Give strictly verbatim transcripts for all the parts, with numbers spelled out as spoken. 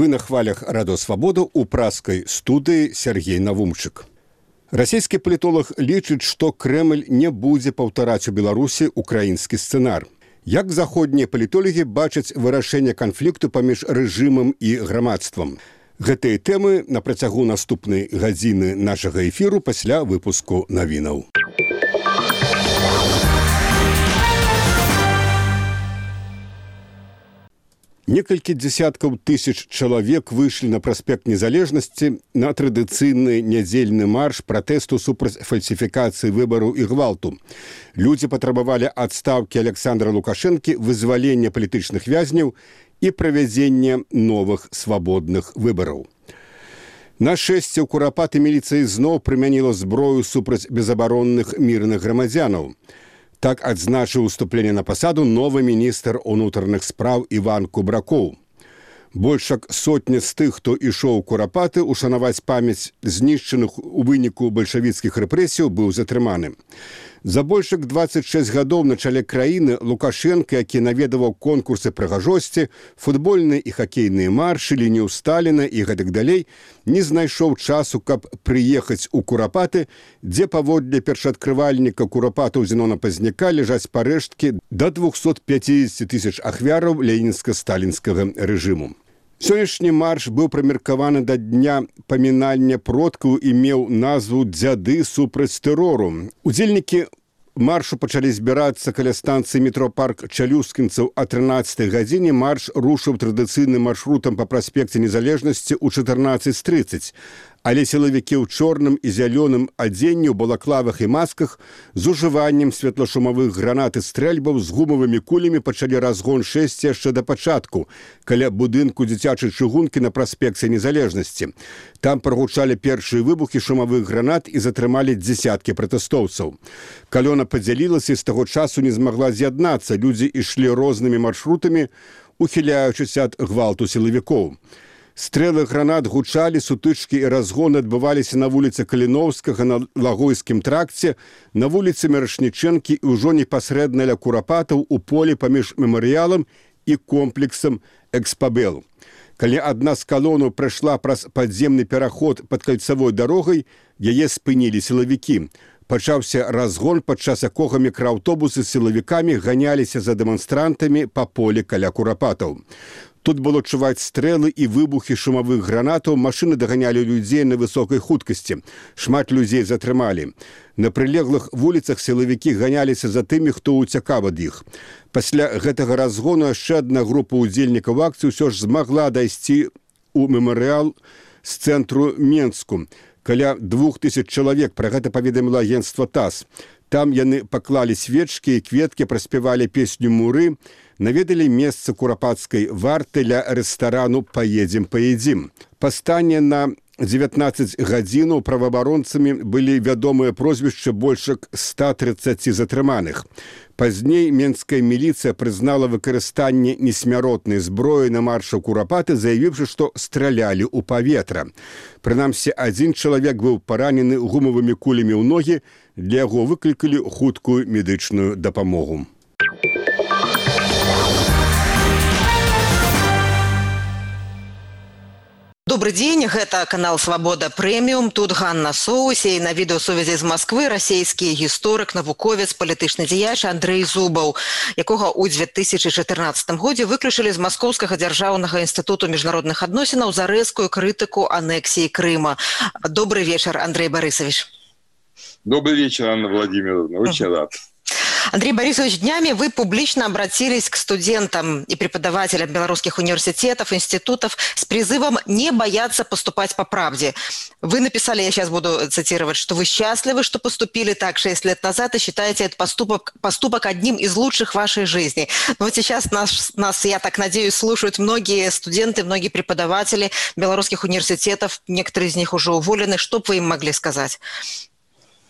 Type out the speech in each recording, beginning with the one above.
Вы на хвалях Радио Свобода у праскай студыі Сергей Навумчык. Расійскі палітолог лічыць, што Крэмль не будзе паўтараць у Беларусі украінскі сцэнар. Як заходнія палітолагі бачаць вырашэнне канфлікту паміж рэжымам і грамадствам? Гэтыя тэмы на працягу наступнай гадзіны нашага эфіру пасля выпуску навінаў. Некалькі дзесяткаў тысяч чалавек выйшлі на праспект Незалежнасці на традыцыйны нядзельны марш пратэсту супраць фальсіфікацыі выбараў і гвалту. Людзі патрабавалі адстаўкі Александра Лукашэнкі, вызвалення палітычных вязняў і правядзення новых свабодных выбараў. На шэсце ў Курапаты міліцыя зноў прымяніла зброю супраць безабаронных мірных грамадзянаў. Так адзначыў уступленне на пасаду новы міністр унутраных спраў Іван Кубракоў. Больш як сотня з тых, хто ішоў у Курапаты ушанаваць памяць знішчаных у выніку бальшавіцкіх рэпрэсіяў, быў затрыманы. За больш як дваццаць шэсць гадоў на чале краіны Лукашэнка, які наведаваў конкурсы прыгажосці, футбольныя і хакейныя маршы, лінію Сталіна і гэтак далей, не знайшоў часу, каб прыехаць у Курапаты, дзе паводле першаадкрывальніка Курапатаў Зенона Пазняка ляжаць парэшткі да двухсот пяцідзесяці тысяч ахвяраў ленінска-сталінскага рэжыму. Сённяшні марш быў прымеркаваны да дня памінання продкаў і меў назву «Дзяды супраць тэрору». Удзельнікі маршу пачалі збірацца каля станцыі метропарк Чалюскінцаў. А трынаццатай гадзіне марш рушыў традыцыйным маршрутам па праспекце Незалежнасці ў чатырнаццаць трыццаць. Але сілавікі ў чорным і зялёным адзенні, у балаклавах і масках з ужываннем светлашумавых гранат і стрэльбаў з гумавымі кулямі пачалі разгон шэсці яшчэ да пачатку, каля будынку дзіцячай чыгункі на праспекце Незалежнасці. Там прагучалі першыя выбухі шумавых гранат і затрымалі дзесяткі пратэстоўцаў. Калёна падзялілася і з таго часу не змагла з'яднацца. Людзі ішлі рознымі маршрутамі, ухіляючыся ад гвалту сілавікоў. Стрэлы гранат гучалі, сутычкі і разгоны адбываліся на вуліцы Каліноўскага, на Лагойскім тракце, на вуліцы Мірошнічэнкі і ўжо непасрэдна ля Курапатаў у полі паміж мемарыялам і комплексам Экспабелу. Калі адна з калонаў прайшла праз падземны пераход пад кальцавой дарогай, яе спынілі сілавікі. Пачаўся разгон, падчас якога мікрааўтобусы з сілавікамі ганяліся за дэманстрантамі па полі каля Курапатаў. Тут было чуваць стрэлы і выбухі шумавых гранатаў, машыны даганялі людзей на высокай хуткасці. Шмат людзей затрымалі. На прылеглых вуліцах сілавікі ганяліся за тымі, хто ўцякаў ад іх. Пасля гэтага разгону яшчэ адна група удзельнікаў акцыі ўсё ж змагла дайсці ў мемарыял з цэнтру Менску. Каля двух тысяч чалавек, пра гэта паведаміла агенцтва ТАСС. Там яны паклалі свечкі і кветкі, праспявалі песню «Муры», наведалі месца курапацкай варты ля рэстарану «Паедзем, паедзім». Па стане на дзевятнаццаць гадзінаў праваабаронцамі былі вядомыя прозвішчы больш як ста трыццаці затрыманых. Пазней менская міліцыя прызнала выкарыстанне несмяротнай зброі на маршу Курапаты, заявіўшы, што стралялі ў паветра. Прынамсі, адзін чалавек быў паранены гумавымі кулямі ў ногі, для яго выклікалі хуткую медычную дапамогу. Добрый день, гэта канал «Свобода Прэміум». Тут Ганна Соусе, і на відэасувязі з Москвы расійскі гісторык, навуковец, палітычны дзеяч Андрэй Зубаў, якога ў две тысячы чатырнаццатым годзе выключылі з Маскоўскага дзяржаўнага інстытуту міжнародных адносінаў за рэзкую крытыку анексіі Крыма. Добрый вечер, Андрей Борисович. Добрый вечер, Анна Владимировна. Очень рад. Андрей Борисович, днями вы публично обратились к студентам и преподавателям белорусских университетов, институтов с призывом не бояться поступать по правде. Вы написали, я сейчас буду цитировать, что вы счастливы, что поступили так шесть лет назад и считаете этот поступок, поступок одним из лучших в вашей жизни. Но вот сейчас нас, нас, я так надеюсь, слушают многие студенты, многие преподаватели белорусских университетов, некоторые из них уже уволены. Что бы вы им могли сказать?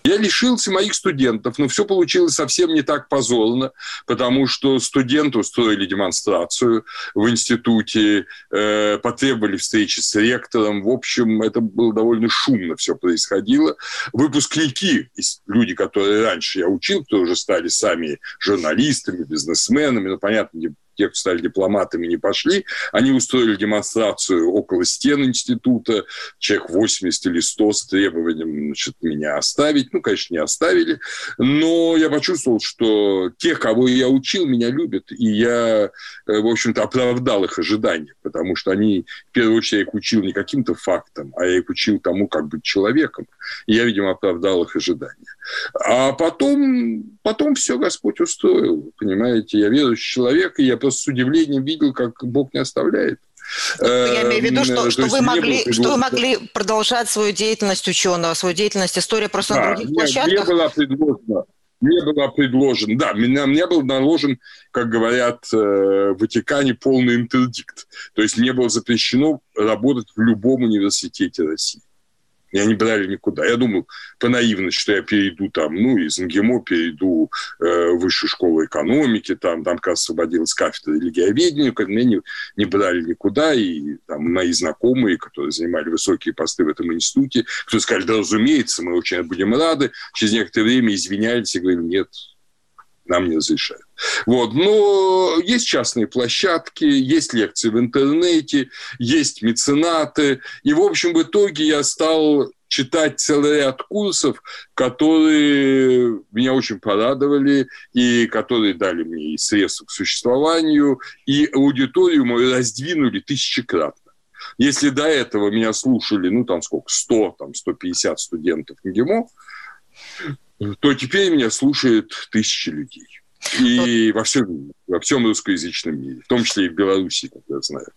Я лишился моих студентов, но все получилось совсем не так позорно, потому что студенты устроили демонстрацию в институте, э, потребовали встречи с ректором. В общем, это было довольно шумно все происходило. Выпускники, люди, которые раньше я учил, которые уже стали сами журналистами, бизнесменами, ну, понятно, не те, кто стали дипломатами, не пошли. Они устроили демонстрацию около стен института, человек восемьдесят или сто с требованием, значит, меня оставить. Ну, конечно, не оставили. Но я почувствовал, что тех, кого я учил, меня любят. И я, в общем-то, оправдал их ожидания. Потому что они, в первую очередь, я их учил не каким-то фактам, а я их учил тому, как быть человеком. И я, видимо, оправдал их ожидания. А потом, потом все Господь устроил. Понимаете, я верующий человек, и я просто с удивлением видел, как Бог не оставляет. Я имею в виду, что, что, вы могли, что вы могли продолжать свою деятельность ученого, свою деятельность истории просто да, на других мне, площадках? Мне было предложено, мне было предложено, да, меня, мне был наложен, как говорят в Ватикане, полный интердикт. То есть мне было запрещено работать в любом университете России. Меня не брали никуда. Я думал по наивности, что я перейду там, ну, из МГИМО перейду э, в высшую школу экономики, там, там как раз освободилась кафедра религиоведения, как меня не, не брали никуда, и там мои знакомые, которые занимали высокие посты в этом институте, кто сказали, да, разумеется, мы очень будем рады, через некоторое время извинялись и говорили, нет, нам не разрешают. Вот. Но есть частные площадки, есть лекции в интернете, есть меценаты. И, в общем, в итоге я стал читать целый ряд курсов, которые меня очень порадовали и которые дали мне и средства к существованию, и аудиторию мою раздвинули тысячекратно. Если до этого меня слушали, ну, там сколько, сто, там, сто пятьдесят студентов МГИМО, то теперь меня слушают тысячи людей. И вот. во, всем, во всем русскоязычном мире, в том числе и в Беларуси, как я знаю.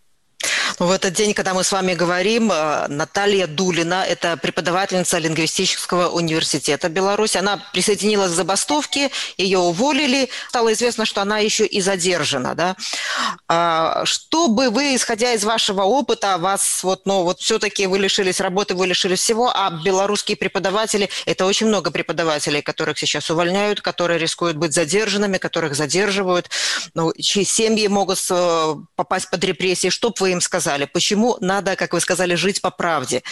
В этот день, когда мы с вами говорим, Наталья Дулина, это преподавательница лингвистического университета Беларуси, она присоединилась к забастовке, ее уволили, стало известно, что она еще и задержана. Да? Что бы вы, исходя из вашего опыта, вас вот, ну, вот все-таки вы лишились работы, вы лишились всего, а белорусские преподаватели, это очень много преподавателей, которых сейчас увольняют, которые рискуют быть задержанными, которых задерживают, ну, чьи семьи могут попасть под репрессии. Что бы вы им сказали? Почему надо, как вы сказали, жить по правде?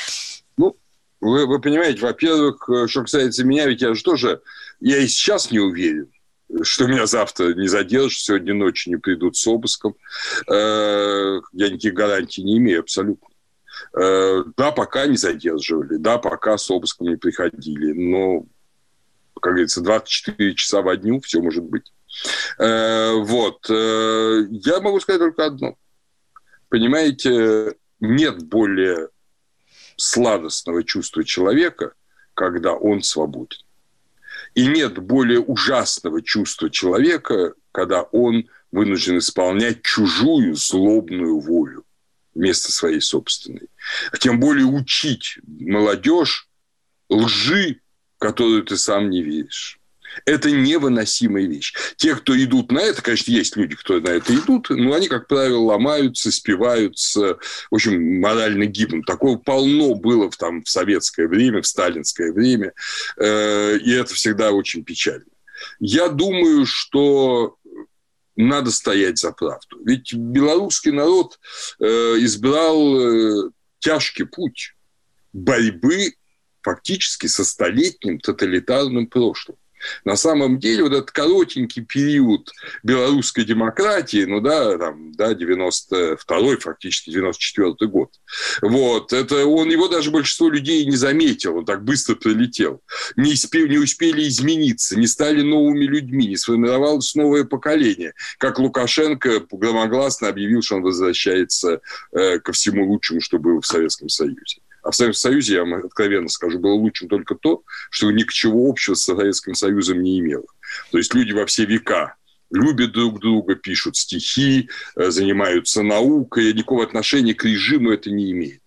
Ну, вы, вы понимаете, во-первых, что касается меня, ведь я же тоже, я и сейчас не уверен, что меня завтра не задержат, сегодня ночью не придут с обыском. Я никаких гарантий не имею абсолютно. Да, пока не задерживали, да, пока с обыском не приходили, но, как говорится, двадцать четыре часа во дню все может быть. Вот. Я могу сказать только одно. Понимаете, нет более сладостного чувства человека, когда он свободен. И нет более ужасного чувства человека, когда он вынужден исполнять чужую злобную волю вместо своей собственной. А тем более учить молодежь лжи, которую ты сам не веришь. Это невыносимая вещь. Те, кто идут на это, конечно, есть люди, кто на это идут, но они, как правило, ломаются, спиваются, в общем, морально гибнут. Такого полно было в, там, в советское время, в сталинское время, э, и это всегда очень печально. Я думаю, что надо стоять за правду. Ведь белорусский народ э, избрал э, тяжкий путь борьбы фактически со столетним тоталитарным прошлым. На самом деле, вот этот коротенький период белорусской демократии, ну да, там, да, девяносто второй, фактически девяносто четвёртый год, вот, это он, его даже большинство людей не заметил, он так быстро прилетел. Не успели, не успели измениться, не стали новыми людьми, не сформировалось новое поколение. Как Лукашенко громогласно объявил, что он возвращается э, ко всему лучшему, что было в Советском Союзе. А в Советском Союзе, я вам откровенно скажу, было лучшим только то, что ничего общего с Советским Союзом не имело. То есть люди во все века любят друг друга, пишут стихи, занимаются наукой, никакого отношения к режиму это не имеет.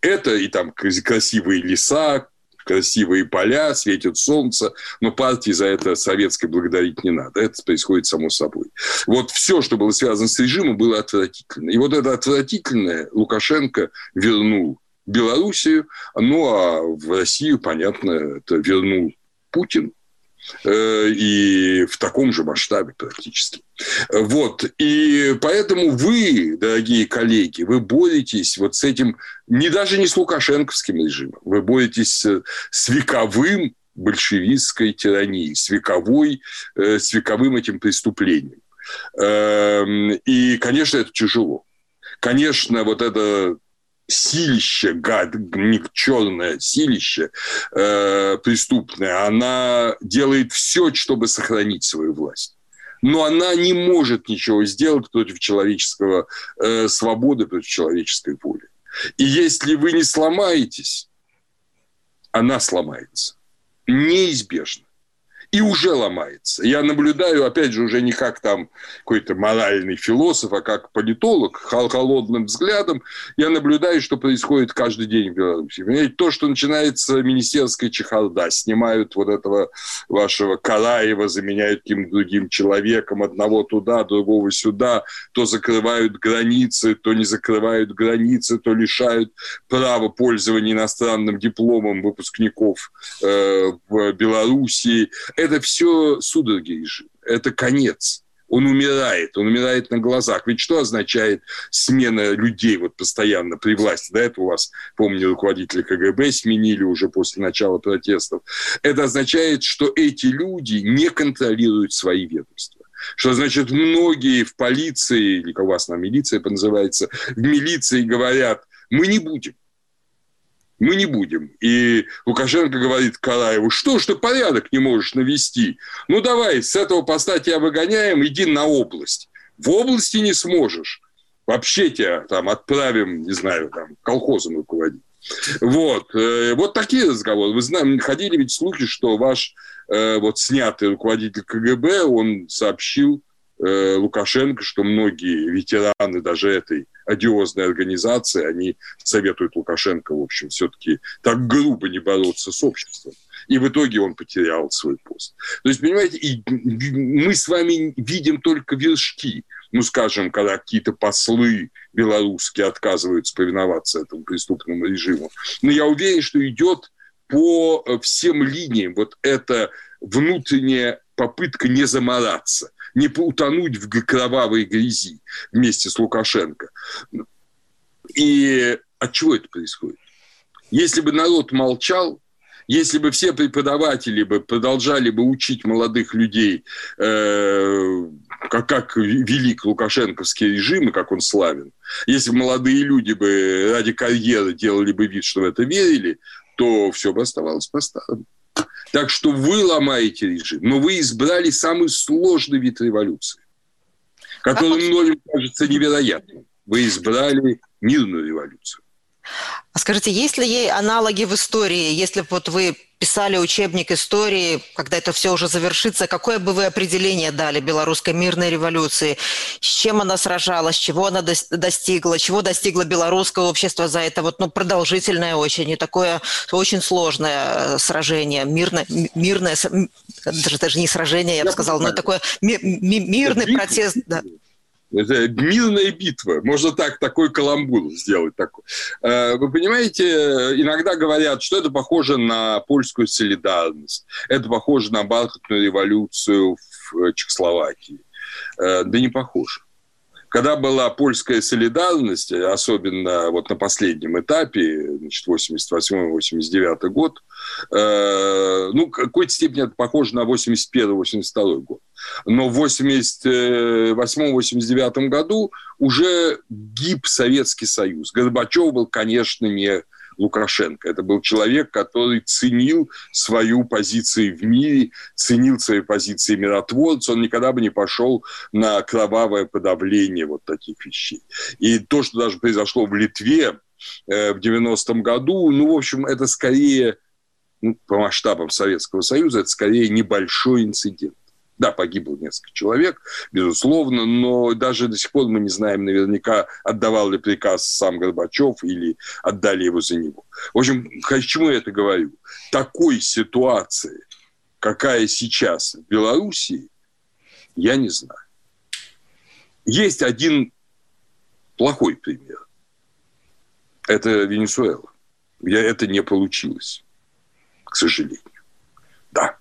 Это и там красивые леса, красивые поля, светит солнце, но партии за это советской благодарить не надо. Это происходит само собой. Вот все, что было связано с режимом, было отвратительно. И вот это отвратительное Лукашенко вернул Белоруссию, ну а в Россию, понятно, это вернул Путин, э, и в таком же масштабе практически. Вот, и поэтому вы, дорогие коллеги, вы боретесь вот с этим, не даже не с лукашенковским режимом, вы боретесь с вековым большевистской тиранией, с, вековой, э, с вековым этим преступлением. И, конечно, это тяжело. Конечно, вот это силище, гад, черное силище э, преступное, она делает все, чтобы сохранить свою власть. Но она не может ничего сделать против человеческого э, свободы, против человеческой воли. И если вы не сломаетесь, она сломается. Неизбежно. И уже ломается. Я наблюдаю, опять же, уже не как там какой-то моральный философ, а как политолог, холодным взглядом, я наблюдаю, что происходит каждый день в Беларуси. Понимаете, то, что начинается министерская чехарда, снимают вот этого вашего Караева, заменяют каким-то другим человеком, одного туда, другого сюда, то закрывают границы, то не закрывают границы, то лишают права пользования иностранным дипломом выпускников э, в Белоруссии. Это все судороги режима, это конец. Он умирает, он умирает на глазах. Ведь что означает смена людей вот постоянно при власти? До этого у вас, помню, руководителя КГБ сменили уже после начала протестов. Это означает, что эти люди не контролируют свои ведомства. Что значит, многие в полиции, или как у вас на милиция называется, в милиции говорят, мы не будем. Мы не будем. И Лукашенко говорит Караеву, что ж ты порядок не можешь навести? Ну, давай, с этого поста тебя выгоняем, иди на область. В области не сможешь. Вообще тебя там отправим, не знаю, там, колхозом руководить. Вот. Вот такие разговоры. Вы знаете, ходили ведь слухи, что ваш вот снятый руководитель КГБ, он сообщил Лукашенко, что многие ветераны даже этой одиозной организации, они советуют Лукашенко, в общем, все-таки так грубо не бороться с обществом. И в итоге он потерял свой пост. То есть, понимаете, и мы с вами видим только вершки. Ну, скажем, когда какие-то послы белорусские отказываются повиноваться этому преступному режиму. Но я уверен, что идет по всем линиям вот эта внутренняя попытка не замораться, не утонуть в кровавой грязи вместе с Лукашенко. И от чего это происходит? Если бы народ молчал, если бы все преподаватели бы продолжали бы учить молодых людей, э, как, как велик лукашенковский режим и как он славен, если бы молодые люди бы ради карьеры делали бы вид, что в это верили, то все бы оставалось по-старому. Так что вы ломаете режим, но вы избрали самый сложный вид революции, который многим кажется невероятным. Вы избрали мирную революцию. А скажите, есть ли ей аналоги в истории? Если бы вот вы писали учебник истории, когда это все уже завершится, какое бы вы определение дали белорусской мирной революции? С чем она сражалась, чего она достигла, чего достигло белорусское общество за это вот, ну, продолжительное очень и такое очень сложное сражение, мирное, мирное даже, даже не сражение, я бы сказала, но такой ми- ми- мирный протест. Да. Это мирная битва. Можно так, такой каламбур сделать. Такой. Вы понимаете, иногда говорят, что это похоже на польскую солидарность. Это похоже на бархатную революцию в Чехословакии. Да не похоже. Когда была польская солидарность, особенно вот на последнем этапе, значит, восемьдесят восьмой - восемьдесят девятый год, э, ну, в какой-то степени это похоже на восемьдесят первый - восемьдесят второй год. Но в восемьдесят восьмом - восемьдесят девятом году уже гиб Советский Союз. Горбачев был, конечно, не Лукашенко. Это был человек, который ценил свою позицию в мире, ценил свои позиции миротворца. Он никогда бы не пошел на кровавое подавление вот таких вещей. И то, что даже произошло в Литве э, в девяностом году, ну, в общем, это скорее, ну, по масштабам Советского Союза, это скорее небольшой инцидент. Да, погибло несколько человек, безусловно, но даже до сих пор мы не знаем наверняка, отдавал ли приказ сам Горбачев или отдали его за него. В общем, к чему я это говорю? Такой ситуации, какая сейчас в Белоруссии, я не знаю. Есть один плохой пример. Это Венесуэла, где это не получилось, к сожалению. Да.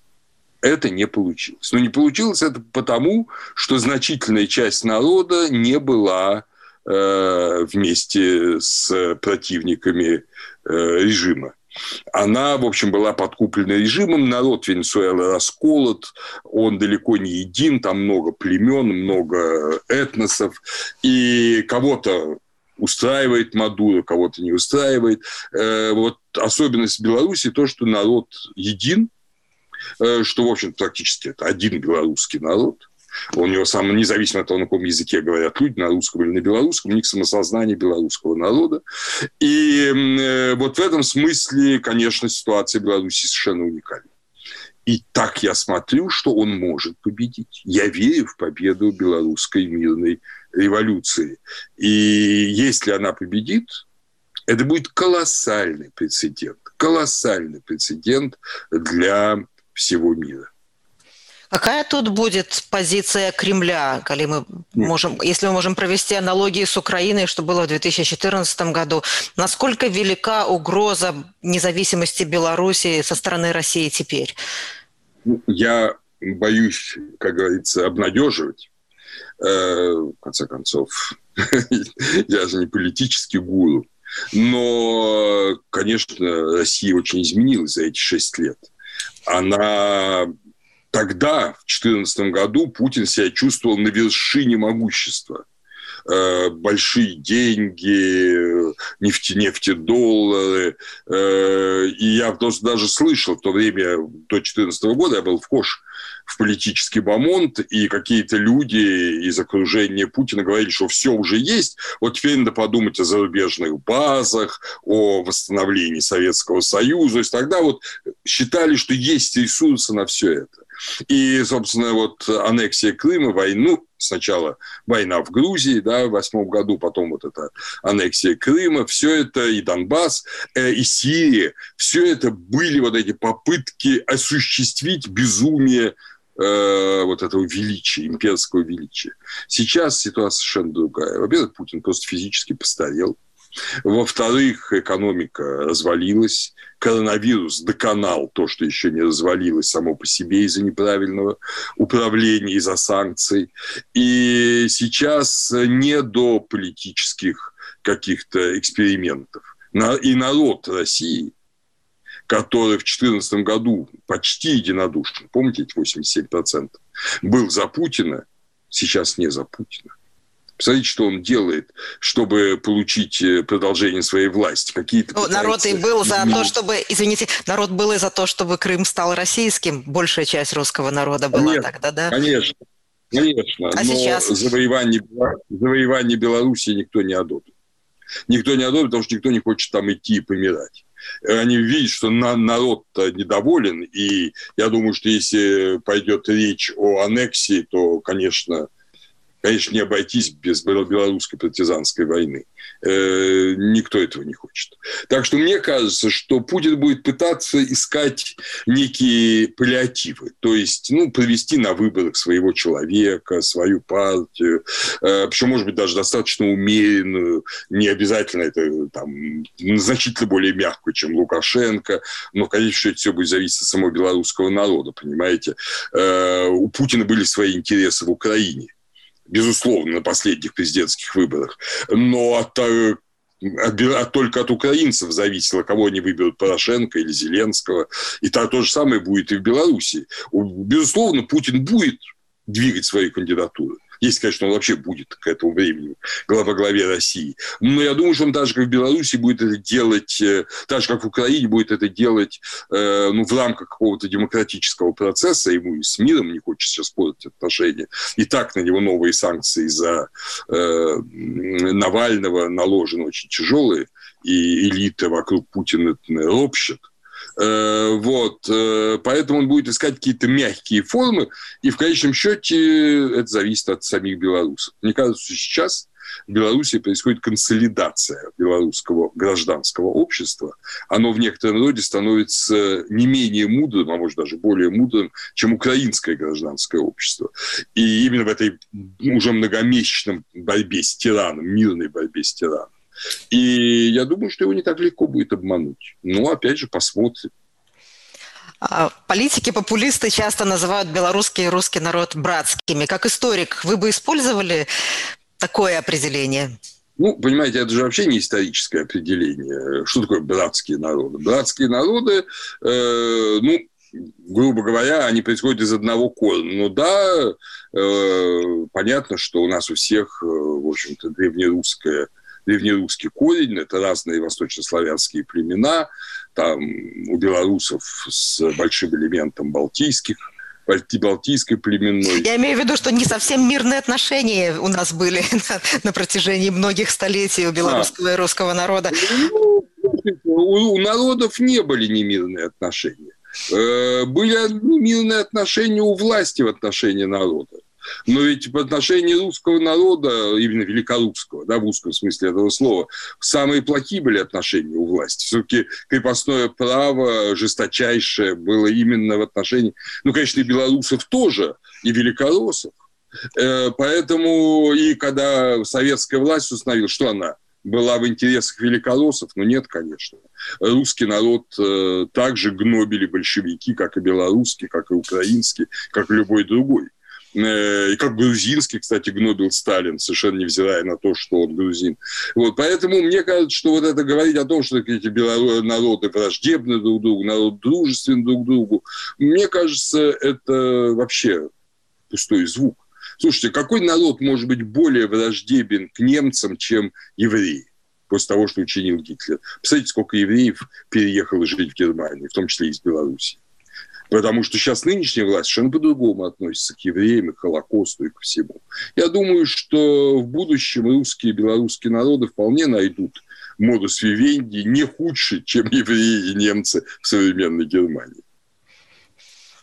Это не получилось. Но не получилось это потому, что значительная часть народа не была э, вместе с противниками э, режима. она, в общем, была подкуплена режимом. Народ Венесуэлы расколот, он далеко не един, там много племен, много этносов. И кого-то устраивает Мадуро, кого-то не устраивает. Вот особенность Беларуси то, что народ един, что, в общем, практически это один белорусский народ. У него сам, независимо от того, на каком языке говорят люди, на русском или на белорусском, у них самосознание белорусского народа. И э, вот в этом смысле, конечно, ситуация в Беларуси совершенно уникальна. И так я смотрю, что он может победить. Я верю в победу белорусской мирной революции. И если она победит, это будет колоссальный прецедент. Колоссальный прецедент для всего мира. Какая тут будет позиция Кремля, коли мы можем, если мы можем провести аналогии с Украиной, что было в две тысячи четырнадцатом году? Насколько велика угроза независимости Беларуси со стороны России теперь? Я боюсь, как говорится, обнадеживать. В конце концов, я же не политический гуру. Но, конечно, Россия очень изменилась за эти шесть лет. Она... Тогда, в две тысячи четырнадцатом году, Путин себя чувствовал на вершине могущества. Большие деньги, нефти, нефтедоллары. И я просто даже слышал в то время, до две тысячи четырнадцатого года, я был вхож в политический бомонд, и какие-то люди из окружения Путина говорили, что все уже есть, вот теперь надо подумать о зарубежных базах, о восстановлении Советского Союза. То есть тогда вот считали, что есть ресурсы на все это. И, собственно, вот аннексия Крыма, войну, сначала война в Грузии, да, в восьмом году, потом вот эта аннексия Крыма, все это, и Донбасс, э, и Сирия, все это были вот эти попытки осуществить безумие э, вот этого величия, имперского величия. Сейчас ситуация совершенно другая. Во-первых, Путин просто физически постарел. Во-вторых, экономика развалилась. Коронавирус доконал то, что еще не развалилось само по себе из-за неправильного управления, из-за санкций. И сейчас не до политических каких-то экспериментов. И народ России, который в две тысячи четырнадцатом году почти единодушен, помните, эти восемьдесят семь процентов, был за Путина, сейчас не за Путина. Посмотрите, что он делает, чтобы получить продолжение своей власти. Какие-то ну, народ и был за то, чтобы, извините, народ был и за то, чтобы Крым стал российским. Большая часть русского народа была конечно, тогда, да? Конечно, конечно. А но сейчас? Завоевание, завоевание Беларуси никто не одобрит. Никто не одобрит, потому что никто не хочет там идти и помирать. Они видят, что на, народ-то недоволен, и я думаю, что если пойдет речь о аннексии, то, конечно... Конечно, не обойтись без белорусской партизанской войны. Э, никто этого не хочет. Так что мне кажется, что Путин будет пытаться искать некие паллиативы. То есть, ну, провести на выборах своего человека, свою партию. Э, причем, может быть, даже достаточно умеренную. Не обязательно это там, значительно более мягкую, чем Лукашенко. Но, конечно, это все будет зависеть от самого белорусского народа, понимаете. Э, у Путина были свои интересы в Украине. Безусловно, на последних президентских выборах. Но от, от, от, только от украинцев зависело, кого они выберут, Порошенко или Зеленского. И то, то же самое будет и в Беларуси. Безусловно, Путин будет двигать свои кандидатуры. Если, конечно, он вообще будет к этому времени во главе России. Но я думаю, что он даже как в Беларуси будет это делать, так же, как в Украине, будет это делать э, ну, в рамках какого-то демократического процесса. Ему и с миром не хочется сейчас портить отношения. И так на него новые санкции за э, Навального наложены очень тяжелые. И элита вокруг Путина ропщет. Вот, поэтому он будет искать какие-то мягкие формы, и в конечном счете это зависит от самих белорусов. Мне кажется, что сейчас в Беларуси происходит консолидация белорусского гражданского общества. Оно в некотором роде становится не менее мудрым, а может даже более мудрым, чем украинское гражданское общество. И именно в этой уже многомесячном борьбе с тираном, мирной борьбе с тираном. И я думаю, что его не так легко будет обмануть. Но, опять же, посмотрим. Политики-популисты часто называют белорусский и русский народ братскими. Как историк, вы бы использовали такое определение? Ну, понимаете, это же вообще не историческое определение. Что такое братские народы? Братские народы, э, ну, грубо говоря, они происходят из одного корня. Ну да, э, понятно, что у нас у всех, в общем-то, древнерусское, древнерусский корень, это разные восточнославянские племена, там у белорусов с большим элементом балтийских, балтийской племенной. Я имею в виду, что не совсем мирные отношения у нас были на, на протяжении многих столетий у белорусского а. и русского народа. Ну, у, у народов не были немирные отношения. Были мирные отношения у власти в отношении народа. Но ведь в отношении русского народа, именно великорусского, да, в узком смысле этого слова, самые плохие были отношения у власти. Все-таки крепостное право жесточайшее было именно в отношении, ну, конечно, и белорусов тоже, и великороссов. Поэтому и когда советская власть установила, что она была в интересах великороссов, ну нет, конечно. Русский народ э, также гнобили большевики, как и белорусский, как и украинский, как и любой другой. Э, и как грузинский, кстати, гнобил Сталин, совершенно невзирая на то, что он грузин. Вот, поэтому мне кажется, что вот это говорить о том, что эти народы враждебны друг другу, народ дружественны друг другу, мне кажется, это вообще пустой звук. Слушайте, какой народ может быть более враждебен к немцам, чем евреи, после того, что учинил Гитлер? Посмотрите, сколько евреев переехало жить в Германию, в том числе из Беларуси. Потому что сейчас нынешняя власть совершенно по-другому относится к евреям, и к Холокосту, и ко всему. Я думаю, что в будущем русские и белорусские народы вполне найдут модус вивенди не худший, чем евреи и немцы в современной Германии.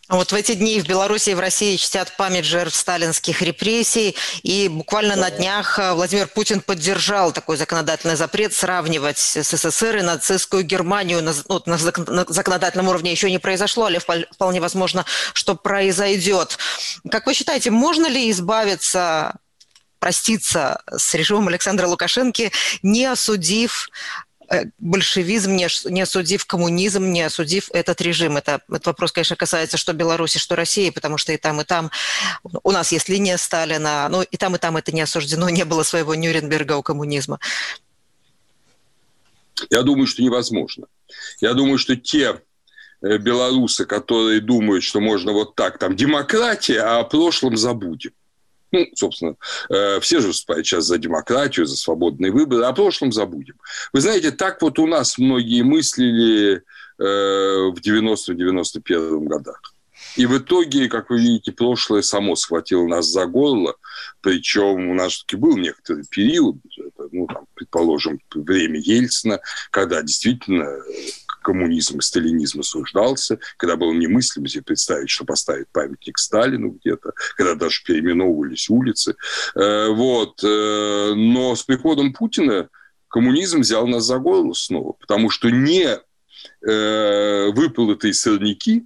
Вот в эти дни в Беларуси и в России чтят память жертв сталинских репрессий, и буквально на днях Владимир Путин поддержал такой законодательный запрет сравнивать СССР и нацистскую Германию. На, ну, на законодательном уровне еще не произошло, але вполне возможно, что произойдет. Как вы считаете, можно ли избавиться, проститься с режимом Александра Лукашенко, не осудив большевизм, не, не осудив коммунизм, не осудив этот режим? Это, этот вопрос, конечно, касается что Беларуси, что России, потому что и там, и там у нас есть линия Сталина, но и там, и там это не осуждено, не было своего Нюрнберга у коммунизма. Я думаю, что невозможно. Я думаю, что те белорусы, которые думают, что можно вот так, там, демократия, а о прошлом забудем. Ну, собственно, все же выступают сейчас за демократию, за свободные выборы, а о прошлом забудем. Вы знаете, так вот у нас многие мыслили в девяностом-девяносто первом годах. И в итоге, как вы видите, прошлое само схватило нас за горло. Причем у нас все-таки был некоторый период, ну, там, предположим, время Ельцина, когда действительно коммунизм и сталинизм осуждался, когда было немыслимо себе представить, что поставить памятник Сталину где-то, когда даже переименовывались улицы. Вот. Но с приходом Путина коммунизм взял нас за горло снова, потому что не выполотые сорняки,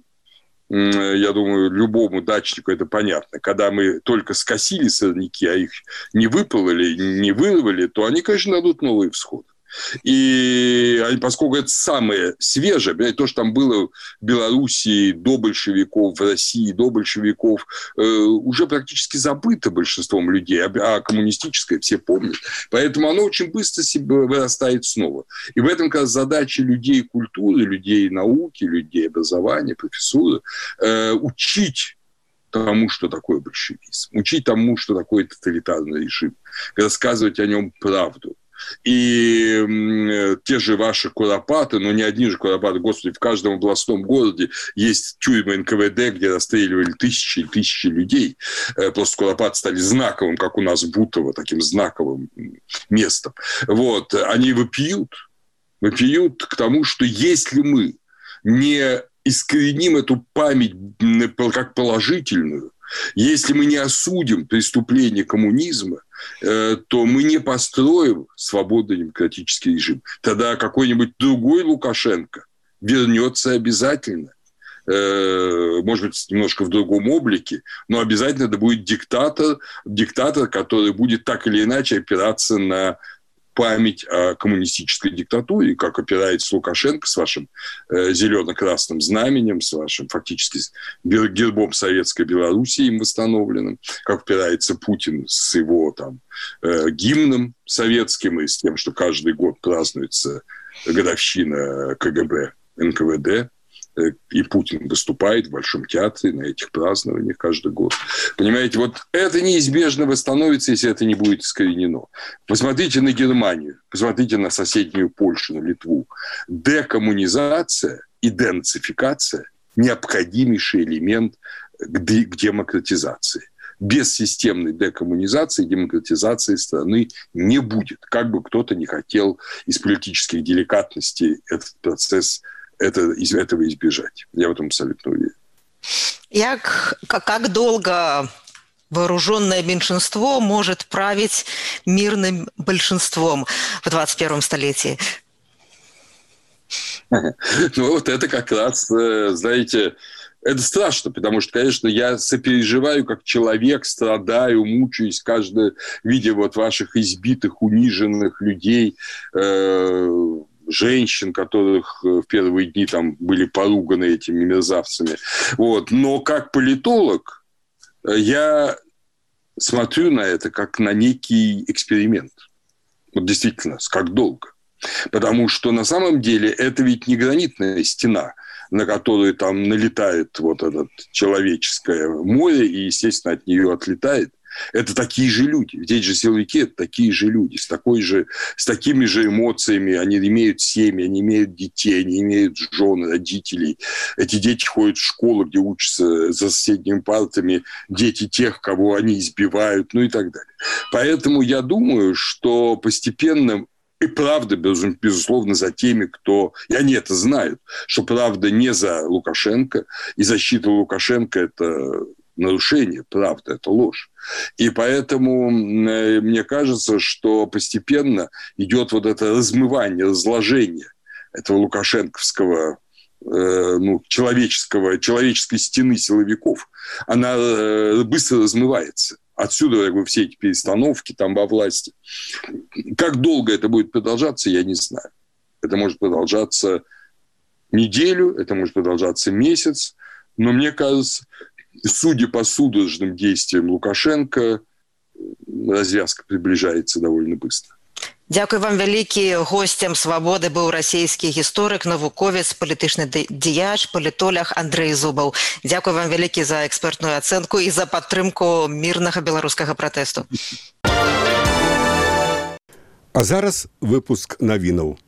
я думаю, любому дачнику это понятно, когда мы только скосили сорняки, а их не выпололи, не вырвали, то они, конечно, дадут новые всходы. И поскольку это самое свежее, то, что там было в Белоруссии до большевиков, в России до большевиков, уже практически забыто большинством людей, а коммунистическое все помнят. Поэтому оно очень быстро себе вырастает снова. И в этом, как раз, задача людей культуры, людей науки, людей образования, профессуры учить тому, что такое большевизм, учить тому, что такое тоталитарный режим, рассказывать о нем правду. И э, те же ваши куропаты, но не одни же куропаты, господи, в каждом областном городе есть тюрьмы эн ка вэ дэ, где расстреливали тысячи и тысячи людей. Э, просто куропаты стали знаковым, как у нас Бутово, таким знаковым местом. Вот. Они вопиют, вопиют к тому, что если мы не искореним эту память как положительную, если мы не осудим преступление коммунизма, то мы не построим свободный демократический режим. Тогда какой-нибудь другой Лукашенко вернется обязательно. Может быть, немножко в другом облике, но обязательно это будет диктатор, диктатор, который будет так или иначе опираться на память о коммунистической диктатуре, как опирается Лукашенко с вашим э, зелено-красным знаменем, с вашим фактически гербом Советской Белоруссии им восстановленным, как опирается Путин с его там, э, гимном советским и с тем, что каждый год празднуется годовщина КГБ, эн ка вэ дэ. И Путин выступает в Большом театре на этих празднованиях каждый год. Понимаете, вот это неизбежно восстановится, если это не будет искоренено. Посмотрите на Германию, посмотрите на соседнюю Польшу, на Литву. Декоммунизация и денацификация – необходимейший элемент к демократизации. Без системной декоммунизации и демократизации страны не будет. Как бы кто-то не хотел из политических деликатностей этот процесс Это, из этого избежать. Я в этом абсолютно уверен. Як, как долго вооруженное меньшинство может править мирным большинством в двадцать первом столетии? Ну, вот это как раз, знаете, это страшно, потому что, конечно, я сопереживаю как человек, страдаю, мучаюсь, каждое, видя вот ваших избитых, униженных людей, э- женщин, которых в первые дни там были поруганы этими мерзавцами. Вот. Но как политолог я смотрю на это как на некий эксперимент. Вот действительно, как долго. Потому что на самом деле это ведь не гранитная стена, на которую там налетает вот это человеческое море и, естественно, от нее отлетает. Это такие же люди. Здесь же силовики – это такие же люди, с, такой же, с такими же эмоциями. Они имеют семьи, они имеют детей, они имеют жен, родителей. Эти дети ходят в школу, где учатся за соседними партами дети тех, кого они избивают, ну и так далее. Поэтому я думаю, что постепенно и правда, безусловно, за теми, кто... И они это знают, что правда не за Лукашенко, и защита Лукашенко – это нарушение, правда, это ложь. И поэтому мне кажется, что постепенно идет вот это размывание, разложение этого лукашенковского, э, ну, человеческого, человеческой стены силовиков. Она э, быстро размывается. Отсюда, я говорю, все эти перестановки там во власти. Как долго это будет продолжаться, я не знаю. Это может продолжаться неделю, это может продолжаться месяц. Но мне кажется, судя по судорожным действиям Лукашенко, развязка приближается довольно быстро. Дякую вам вялікі. Гостем «Свабоды» быў расійскі гісторык, навуковец, палітычны дзеяч, палітолог Андрэй Зубаў. Дякую вам вялікі за экспертную ацэнку і за падтрымку мірнага беларускага пратэсту. А зараз выпуск навінаў.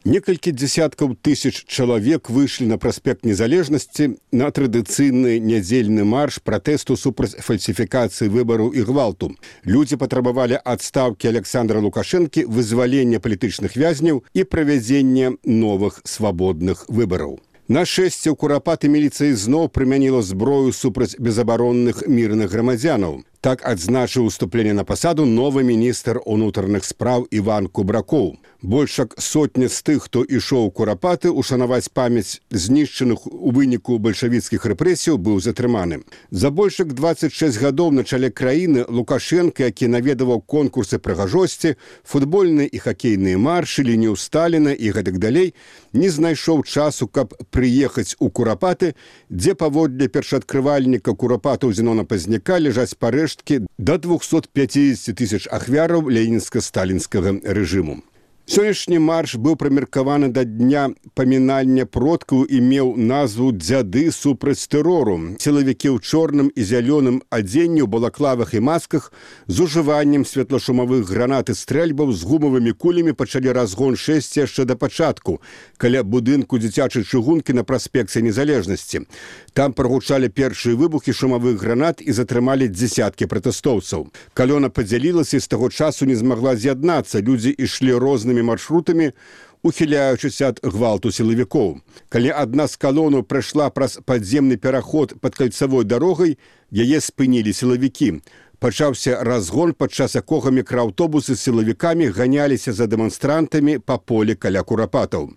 Некалькі дзесяткаў тысяч чалавек выйшлі на праспект Незалежнасці на традыцыйны нядзельны марш пратэсту супраць фальсіфікацыі выбараў і гвалту. Людзі патрабавалі адстаўкі Александра Лукашэнкі, вызвалення палітычных вязняў і правядзення новых свабодных выбараў. На шэсце ў Курапаты міліцыя зноў прымяніла зброю супраць безабаронных мірных грамадзянаў. Так адзначыў уступленне на пасаду новы міністр унутраных спраў Іван Кубракоў. Больш як сотня з тых, хто ішоў у Курапаты ушанаваць памяць знішчаных у выніку бальшавіцкіх рэпрэсіяў, быў затрыманы. За больш як дваццаць шэсць гадоў на чале краіны Лукашенка, які наведаваў конкурсы прыгажосці, футбольныя і хакейныя маршы, лінію Сталіна і гэтак далей, не знайшоў часу, каб прыехаць у Курапаты, дзе паводле першаадкрывальніка Курапатаў Зенона Пазняка ляжаць парэшткі да двухсот пятидесяти тысяч ахвяраў ленінска-сталінскага рэжыму. Сённяшні марш быў прымеркаваны да дня памінання продкаў і меў назву «Дзяды супраць тэрору». Сілавікі ў чорным і зялёным адзенні, у балаклавах і масках з ужываннем светлашумавых гранат і стрэльбаў з гумавымі кулямі пачалі разгон шэсці яшчэ да пачатку, каля будынку дзіцячай чыгункі на праспекце Незалежнасці. Там прагучалі першыя выбухі шумавых гранат і затрымалі дзесяткі пратэстоўцаў. Калёна падзялілася і з таго часу не змагла з'яднацца. Людзі ішлі рознымі маршрутамі, ухіляючыся ад гвалту сілавікоў. Калі адна з калонаў прайшла праз падземны пераход пад кальцавой дарогай, яе спынілі сілавікі. Пачаўся разгон, падчас якога мікрааўтобусы з сілавікамі ганяліся за дэманстрантамі па полі каля Курапатаў.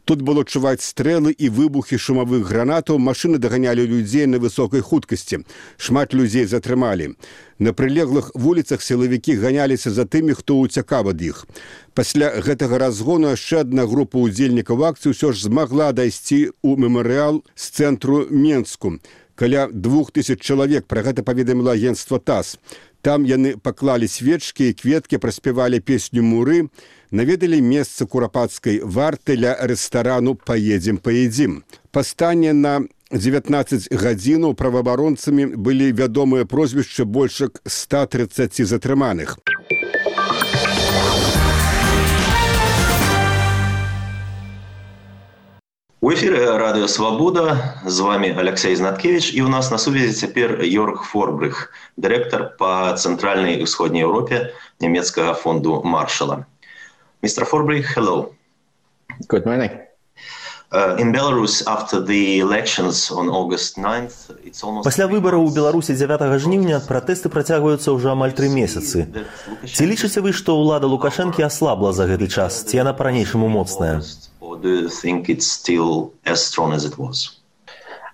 Тут было чуваць стрэлы і выбухі шумавых гранатаў, машыны даганялі людзей на высокай хуткасці. Шмат людзей затрымалі. На прылеглых вуліцах сілавікі ганяліся за тымі, хто ўцякаў ад іх. Пасля гэтага разгону яшчэ адна група ўдзельнікаў акцыі ўсё ж змагла дайсці ў мемарыял з цэнтру Менску. Каля двух тысяч чалавек, пра гэта паведаміла агенцтва ТАСС. Там яны паклалі свечкі і кветкі, праспявалі песню «Муры», наведалі месца курапацкай варты ля рэстарану «Паедзем, паедзім». Пастане на дзевятнаццаць гадзінаў праваабаронцамі былі вядомыя прозвішчы больш як ста трыццаці затрыманых. У эфире Радио Свобода. С вами Алексей Знаткевич. И у нас на связи теперь Йорг Форбрих, директор по Центральной и Исходной Европе немецкого фонду Маршалла. мистер Форбрих, hello. Good morning. Пасля выбараў у Беларусі дзявятага жніўня пратэсты працягваюцца ўжо амаль тры месяцы. Ці лічыце вы, што ўлада Лукашэнкі аслабла за гэты час, ці яна па-ранейшаму моцная?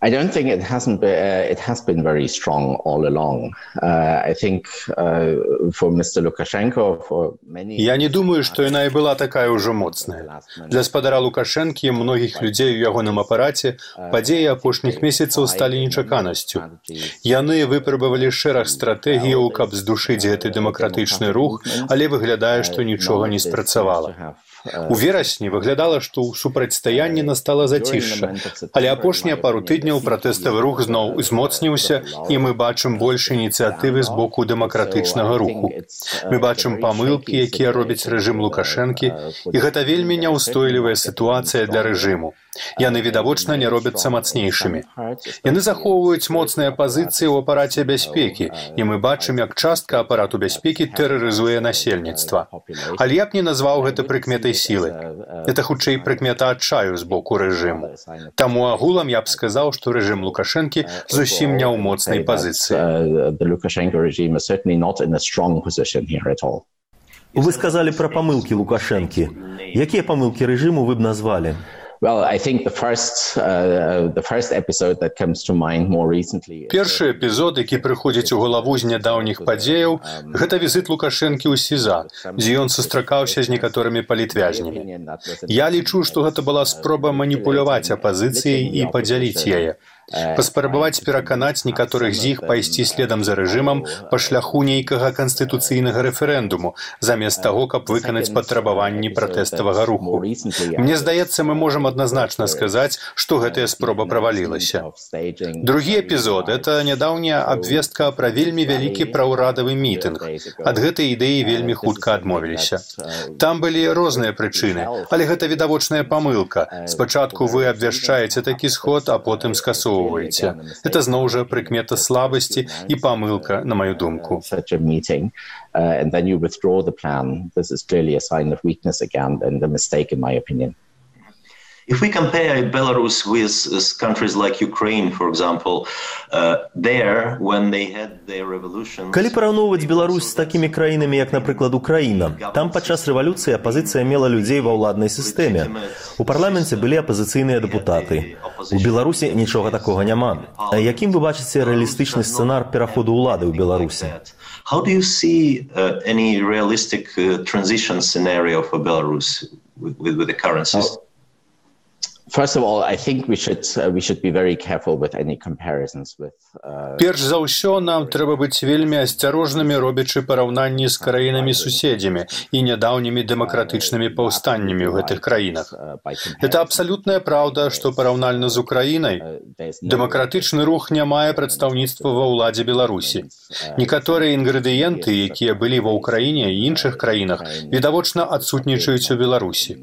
I don't think it hasn't been, uh, it has been very strong all along. Uh, I think uh, for мистер Lukashenko, for many... Я не думаю, што яна і была такая ўжо моцная. Для спадара Лукашэнкі і многіх людзей у ягоным апараце падзеі апошніх месяцаў сталі нечаканасцю. Яны выпрабавалі шэраг стратэгіяў, каб здушыць гэты дэмакратычны рух, але выглядае, што нічога не спрацавала. У верасні выглядала, што ў супрацьстаянні настала зацішша, але апошнія пару тыдняў пратэставы рух зноў узмоцніўся, і мы бачым больш ініцыятывы з боку дэмакратычнага руху. Мы бачым памылкі, якія робіць рэжым Лукашэнкі, і гэта вельмі няўстойлівая сітуацыя для рэжыму. Яны, відавочна, не робяцца мацнейшымі. Яны захоўваюць моцныя пазіцыі ў апараце бяспекі, і мы бачым, як частка апарату бяспекі тэрарызуе насельніцтва. Але я б не назваў гэта прыкметай сілы. Это хутчэй прыкмета адчаю з боку рэжыму. Таму агулам я б сказаў, што рэжым Лукашэнкі зусім не ў моцнай пазіцыі. Вы сказалі пра памылкі Лукашэнкі. Якія памылкі рэжыму вы б назвалі? Well, I think the first, uh, the first episode that comes to mind more recently... Першы эпізод, які прыходзіць у галаву з нядаўніх падзеяў, гэта візіт Лукашэнкі ў СІЗА, дзе ён сустракаўся з некаторымі палітвязнямі. Я лічу, што гэта была спроба маніпуляваць апазіцыяй і падзяліць яе. Паспрабаваць пераканаць некаторых з іх пайсці следам за рэжымам па шляху нейкага канстытуцыйнага рэферэндуму, замест таго, каб выканаць патрабаванні пратэставага руху. Мне здаецца, мы можам адназначна сказаць, што гэтая спроба правалілася. Другі эпізод – это нядаўняя абвестка пра вельмі вялікі праўрадавы мітынг. Ад гэтай ідэі вельмі хутка адмовіліся. Там былі розныя прычыны, але гэта відавочная памылка. Спачатку вы абвяшчаеце такі сход, а потым скасоўваеце. Это зноў жа прыкмета слабасці і памылка, на маю думку. And then you withdraw the plan. This is clearly a sign of weakness again and a mistake in my opinion. If we compare Belarus with countries like Ukraine, for example, uh, there, when they had their revolution... Калі параўноўваць Беларусь з такімі краінамі, як, напрыклад, Украіна, там падчас рэвалюцыі апазіцыя мела людзей ва ўладнай сістэме. У парламенце былі апазіцыйныя дэпутаты. У Беларусі нічога такога няма. А якім вы бачыце рэалістычны сцэнар пераходу ўлады ў Беларусі? How do you see uh, any realistic uh, transition scenario for Belarus with, with, with the current system? First of all, I think we should uh, we should be very careful with any comparisons with. Uh, Перш за ўсё, нам трэба быць вельмі асцярожнымі, робячы параўнанні з краінамі-суседзямі і нядаўнімі дэмакратычнымі паўстаннямі ў гэтых краінах. Это абсалютная праўда, што параўнальна з Украінай дэмакратычны рух не мае прадстаўніцтва ва ўладзе Беларусі. Некаторыя інгрэдыенты, якія былі ва Ўкраіне і іншых краінах, відавочна адсутнічаюць у Беларусі.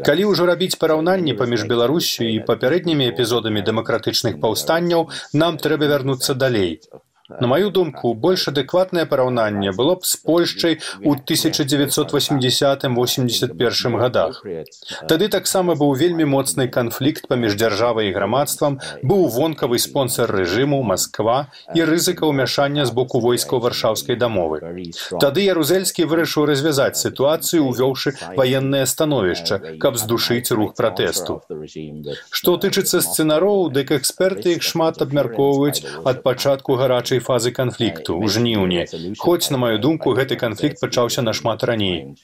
Калі ўжо рабіць параўнанні паміж Беларусю і папярэднімі эпізодамі дэмакратычных паўстанняў, нам трэба вярнуцца далей. На маю думку, больш адэкватнае параўнанне было б з Польшчай у тысяча дзевяцьсот восьмідзясятым — восемьдесят першым годах. Тады таксама быў вельмі моцны канфлікт паміж дзяржавай і грамадствам, быў вонкавы спонсор рэжыму Масква і рызыка ўмяшання з боку войскаў Варшаўскай дамовы. Тады Ярузельскі вырашыў развязаць сітуацыю, увёўшы ваеннае становішча, каб здушыць рух пратэсту. Што тычыцца сцэнароў, дык эксперты іх шмат абмяркоўваюць ад пачатку гарачай фазы канфлікту, у жніўні. Хоць, на маю думку, гэты канфлікт пачаўся нашмат раней.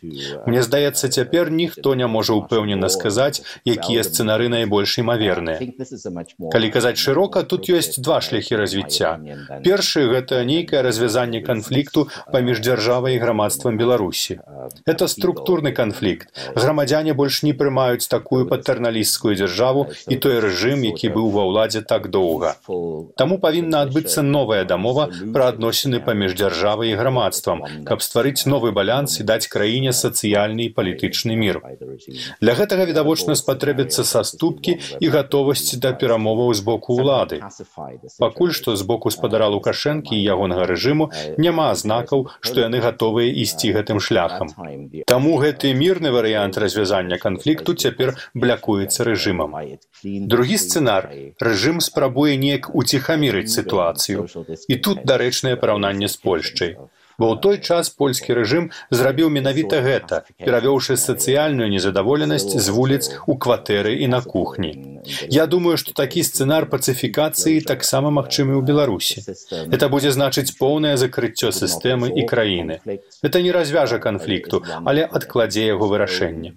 Мне здаецца, цяпер ніхто не можа ўпэўнена сказаць, якія сцэнары найбольш імаверныя. Калі казаць шырока, тут ёсць два шляхі развіцця. Першы – гэта нейкае развязанне канфлікту паміж дзяржавай і грамадствам Беларусі. Это структурны канфлікт. Грамадзяне больш не прымаюць такую патэрналісцкую дзяржаву і той рэжым, які быў ва ўладзе так доўга. Таму павінна адбыцца новая дамова пра адносіны паміж дзяржавай і грамадствам, каб стварыць новы баланс і даць краіне сацыяльны і палітычны мір. Для гэтага відавочна спатрэбяцца саступкі і гатовасць да перамоваў з боку ўлады. Пакуль што з боку спадара Лукашэнкі і ягонага рэжыму няма знакаў, што яны гатовыя ісці гэтым шляхам. Таму гэты мірны варыянт развязання канфлікту цяпер блякуецца рэжымам. Другі сцэнар – рэжым спрабуе неяк уціхамірыць сітуацыю. І тут дарэчнае параўнанне з Польшчай. Бо ў той час польскі рэжым зрабіў менавіта гэта, перавёўшы сацыяльную незадаволенасць з вуліц у кватэры і на кухні. Я думаю, што такі сцэнар пацыфікацыі таксама магчымы ў Беларусі. Это будзе значыць поўнае закрыццё сістэмы і краіны. Это не развяжа канфлікту, але адкладзе яго вырашэнне.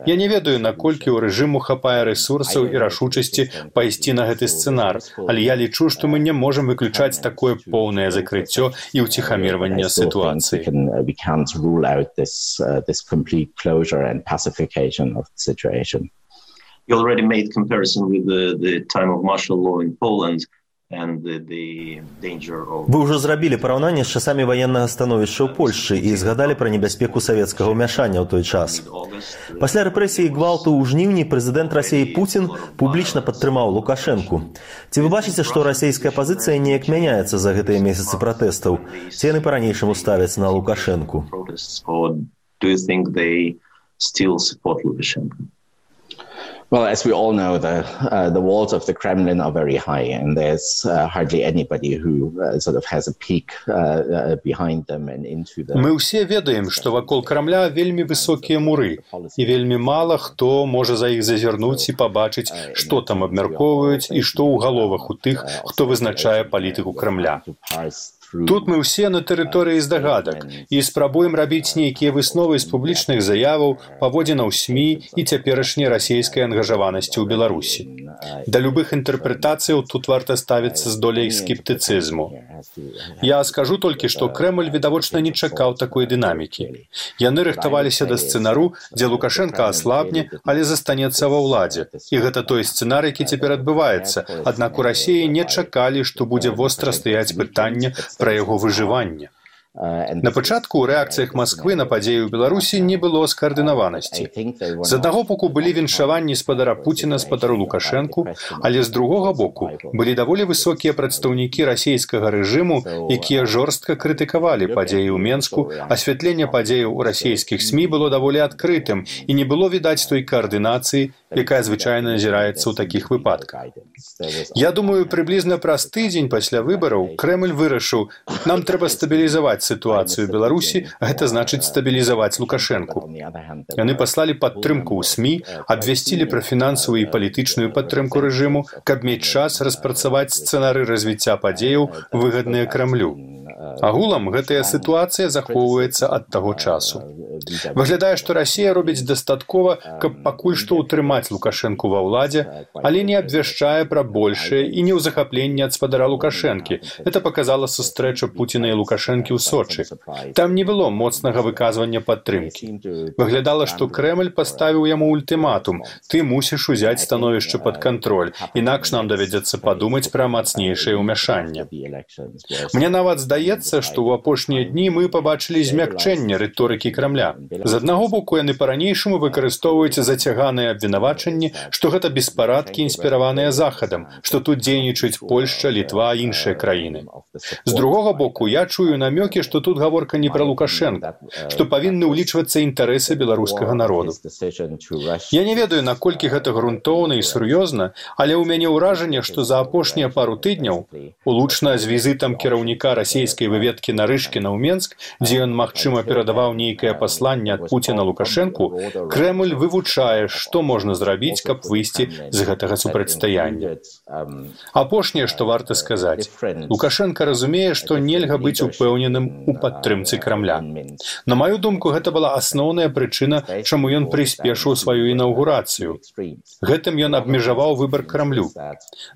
Я не ведаю, наколькі ў рэжыму хапае рэсурсаў і рашучасці пайсці на гэты сцэнар, але я лічу, што мы не можам выключаць такое поўнае закрыццё і ўціхамірванне ситуации. We can't rule out this uh, this complete closure and pacification of the situation. You already made comparison with the the time of martial law in Poland. Вы ўжо зрабілі параўнанне з часамі ваеннага становішча ў Польшчы і згадалі пра небяспеку савецкага ўмяшання ў той час. Пасля рэпрэсій і гвалту ў жніўні прэзідэнт Расіі Пуцін публічна падтрымаў Лукашэнку. Ці вы бачыце, што расійская пазіцыя неяк мяняецца за гэтыя месяцы пратэстаў? Ці яны па-ранейшаму ставяць на Лукашэнку? Well, as we all know, the uh, the walls of the Kremlin are very high, and there's uh, hardly anybody who uh, sort of has a peek uh, uh, behind them and into the. Мы ўсе ведаем, што вакол Крамля вельмі высокія муры, і вельмі мала хто можа за іх зазірнуць і пабачыць, што там абмяркоўваюць і што ў галовах у тых, хто вызначае палітыку Крамля. Тут мы ўсе на тэрыторыі здагадак і спрабуем рабіць нейкія высновы з публічных заяваў, паводзінаў СМІ і цяперашняй расійскай ангажаванасці ў Беларусі. Да любых інтэрпрэтацыяў тут варта ставіцца з доляй скептыцызму. Я скажу толькі, што Крэмль відавочна не чакаў такой дынамікі. Яны рыхтаваліся да сцэнару, дзе Лукашэнка аслабне, але застанецца ва ўладзе. І гэта той сцэнар, які цяпер адбываецца. Аднак у Расіі не чакалі, што будзе востра стаяць пытанне пра яго выжыванне. На пачатку ў рэакцыях Масквы на падзеі ў Беларусі не было скаардынаванасці. З аднаго боку былі віншаванні спадара Пуціна спадару Лукашэнку, але з другога боку былі даволі высокія прадстаўнікі расійскага рэжыму, якія жорстка крытыкавалі падзеі ў Менску, асвятленне падзеяў у расійскіх СМІ было даволі адкрытым і не было відаць той каардынацыі, якая звычайна назіраецца ў такіх выпадках. Я думаю, прыблізна праз тыдзень пасля выбараў Крэмль вырашыў, нам трэба стабілізаваць сітуацыю ў Беларусі, гэта значыць стабілізаваць Лукашэнку. Яны паслалі падтрымку ў СМІ, абвясцілі пра фінансавую і палітычную падтрымку рэжыму, каб мець час распрацаваць сцэнары развіцця падзеяў, выгадныя Крамлю. Агулам гэтая сітуацыя захоўваецца ад таго часу. Выглядае, што Расія робіць дастаткова, каб пакуль што ўтрымаць Лукашэнку ва ўладзе, але не абвяшчае пра большае і не ў захапленне ад спадара Лукашэнкі. Это паказала сустрэча Пуціна і Лукашэнкі ў Сочы. Там не было моцнага выказвання падтрымкі. Выглядала, што Крэмль паставіў яму ультыматум. Ты мусіш узяць становішча пад кантроль, інакш нам давядзецца падумаць пра мацнейшае ўмяшанне. Мне нават здаецца, здаецца, што ў апошнія дні мы пабачылі змякчэнне рыторыкі Крамля. З аднаго боку, яны па-ранейшаму выкарыстоўваюць зацяганыя абвінавачанні, што гэта беспарадкі, інспіраваныя Захадам, што тут дзейнічаюць Польшча, Літва і іншыя краіны. З другога боку, я чую намёкі, што тут гаворка не пра Лукашенка, што павінны ўлічвацца інтарэсы беларускага народу. Я не ведаю, наколькі гэта грунтоўна і сур'ёзна, але ў мяне ўражанне, што за апошнія пару тыдняў, улучна з візітам кіраўніка расійскай выведкі Нарышкіна ў Менск, дзе ён, магчыма, перадаваў нейкае пасланне ад Пуціна Лукашэнку, Крэмль вывучае, што можна зрабіць, каб выйсці з гэтага супрацьстаяння. Апошняе, што варта сказаць. Лукашенка разумее, што нельга быць упэўненым у падтрымцы Крамля. На маю думку, гэта была асноўная прычына, чаму ён прыспешыў сваю інаўгурацыю. Гэтым ён абмежаваў выбар Крамлю.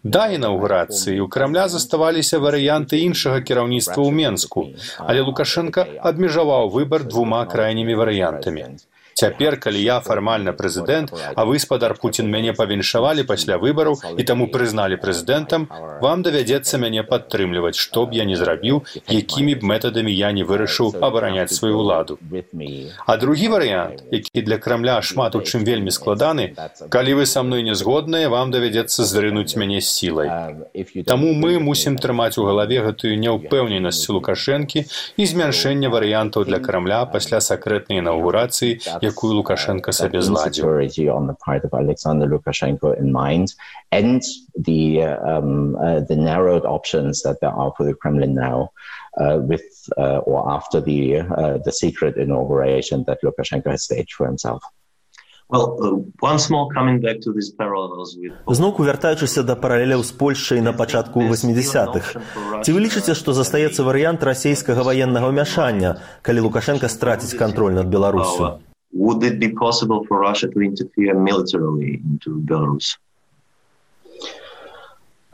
Да інаўгурацыі у Крамля заставаліся варыянты іншага кіраўніцтва ў Менску, але Лукашенка абмежаваў выбар двума крайнімі варыянтамі. Цяпер, калі я фармальна прэзідэнт, а вы, спадар Пуцін, мяне павіншавалі пасля выбараў і таму прызналі прэзідэнтам, вам давядзецца мяне падтрымліваць, што б я не зрабіў, якімі б метадамі я не вырашыў абараняць сваю ўладу. А другі варыянт, які для Крамля шмат у чым вельмі складаны, калі вы са мной не згодныя, вам давядзецца зрынуць мяне з сілай. Таму мы мусім трымаць у галаве гэтую няўпэўненасць Лукашэнкі і змяншэнне варыянтаў для Крамля пасля сакрэтнай інаўгурацыі, якую Лукашенко сабе зладзіў. And the, um, uh, the narrowed options that there are for the Kremlin now uh, with uh, or after the, uh, the secret inauguration that Lukashenko has staged for himself. Well, uh, once more coming back to these parallels with... Зноўку вяртаючыся да паралеляў з Польшчай на пачатку восьмідзесятых. Ці вы лічыце, што застаецца варыянт расійскага ваеннага ўмяшання, калі Лукашенко страціць кантроль над Беларусю? Would it be possible for Russia to interfere militarily into Belarus?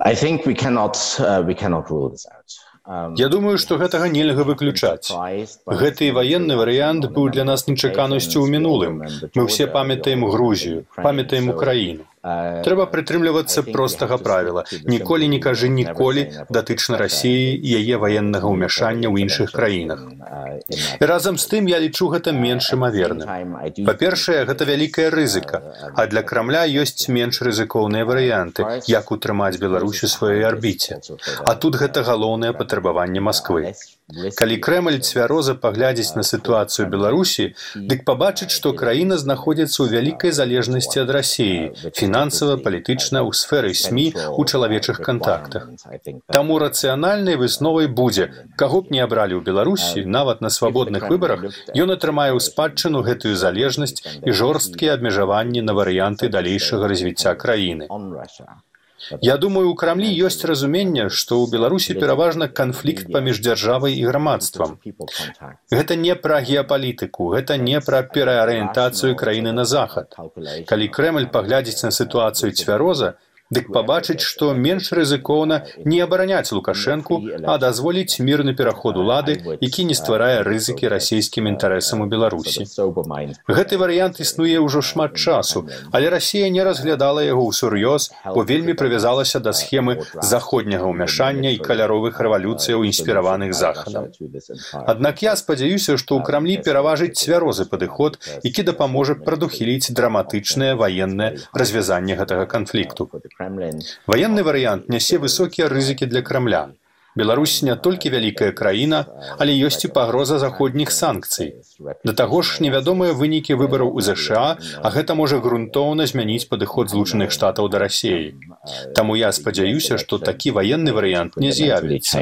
I think we cannot, uh, we cannot rule this out. Я думаю, што гэтага нельга выключаць. Гэты ваенны варыянт быў для нас нечаканасцю ў мінулым. Мы ўсе памятаем Грузію, памятаем Украіну. Трэба прытрымлівацца простага правіла. Ніколі не кажы ніколі датычна Расіі і яе ваеннага ўмяшання ў іншых краінах. І разам з тым я лічу гэта менш імаверным. Па-першае, гэта вялікая рызыка, а для Крамля ёсць менш рызыкоўныя варыянты, як утрымаць Беларусь у сваёй арбіце. А тут гэта галоўнае патрабаванне Масквы. Калі Крэмль цвяроза паглядзіць на сітуацыю Беларусі, дык пабачыць, што краіна знаходзіцца ў вялікай залежнасці ад Расіі, фінансава, палітычна, у сферы СМІ, у чалавечых кантактах. Таму рацыянальнай высновай будзе, каго б не абралі ў Беларусі, нават на свабодных выбарах, ён атрымае ў спадчыну гэтую залежнасць і жорсткія абмежаванні на варыянты далейшага развіцця краіны. Я думаю, у Крамлі ёсць разуменне, што ў Беларусі пераважна канфлікт паміж дзяржавай і грамадствам. Гэта не пра геапалітыку, гэта не пра пераарыентацыю краіны на захад. Калі Крэмль паглядзіць на сітуацыю цвяроза, дык пабачыць, што менш рызыкоўна не абараняць Лукашэнку, а дазволіць мірны пераход улады, які не стварае рызыкі расійскім інтарэсам у Беларусі. Гэты варыянт існуе ўжо шмат часу, але Расія не разглядала яго ўсур'ёз, бо вельмі прывязалася да схемы заходняга ўмяшання і каляровых рэвалюцыяў, інспіраваных Захадам. Аднак я спадзяюся, што ў Крамлі пераважыць цвярозы падыход, які дапаможа прадухіліць драматычнае ваеннае развязанне гэтага канфлікту. Ваенны варыянт нясе высокія рызыкі для Крамля. Беларусь не толькі вялікая краіна, але ёсць і пагроза заходніх санкцый. Да таго ж невядомыя вынікі выбараў у ЗША, а гэта можа грунтоўна змяніць падыход Злучаных Штатаў да Расіі. Таму я спадзяюся, што такі ваенны варыянт не з'явіцца.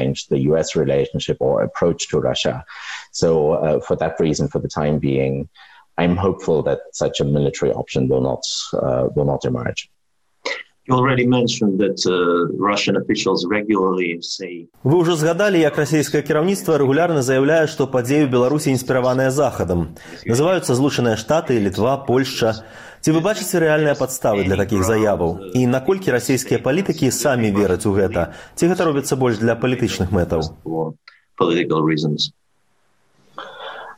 I'm hopeful that such a military option will not, uh, will not emerge. You already mentioned that uh, Russian officials regularly say... Вы ўжо згадалі, як расійскае кіраўніцтва рэгулярна заяўляе, што падзеі ў Беларусі інспіраваныя Захадам. Называюцца Злучаныя Штаты, Літва, Польшча. Ці вы бачыце рэальныя падставы для такіх заяваў? І наколькі расійскія палітыкі самі вераць у гэта? Ці гэта робіцца больш для палітычных мэтаў? Political reasons.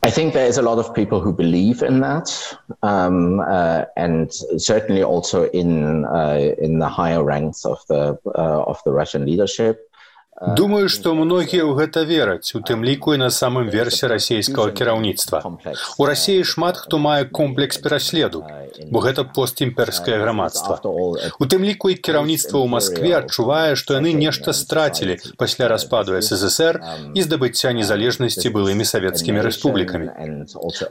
I think there is a lot of people who believe in that, um, uh, and certainly also in uh, in the higher ranks of the uh, of the Russian leadership. Думаю, што многія ў гэта вераць, у тым ліку і на самым версе расійскага кіраўніцтва. У Расіі шмат хто мае комплекс пераследу, бо гэта постімперскае грамадства. У тым ліку і кіраўніцтва ў Маскве адчувае, што яны нешта страцілі пасля распаду эс эс эс эр і здабыцця незалежнасці былымі савецкімі рэспублікамі.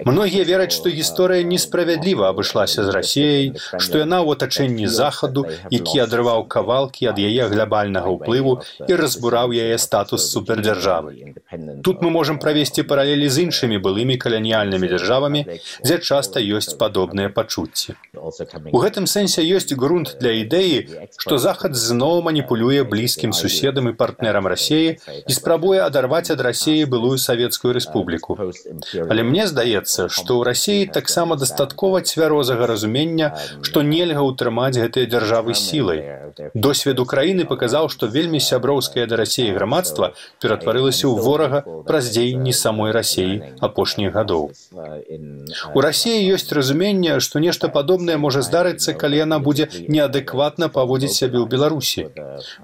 Многія вераць, што гісторыя несправядліва абышлася з Расіяй, што яна ў атачэнні Захаду, які адрываў кавалкі ад яе глобальнага ўплыву і разбураў яе статус супердзяржавы. Тут мы можам правесці паралелі з іншымі былымі каланіяльнымі дзяржавамі, дзе часта ёсць падобныя пачуцці. У гэтым сэнсе ёсць грунт для ідэі, што Захад зноў маніпулюе блізкім суседам і партнерам Расіі і спрабуе адарваць ад Расіі былую Савецкую Рэспубліку. Але мне здаецца, што ў Расіі таксама дастаткова цвярозага разумення, што нельга ўтрымаць гэтыя дзяржавы сілай. Досвед Украіны паказаў, што вельмі сяброўскае да Расіі грамадства ператварылася ў ворага праз дзеянні самой Расіі апошніх гадоў. У Расіі ёсць разуменне, што нешта падобнае можа здарыцца, калі яна будзе неадэкватна паводзіць сябе ў Беларусі.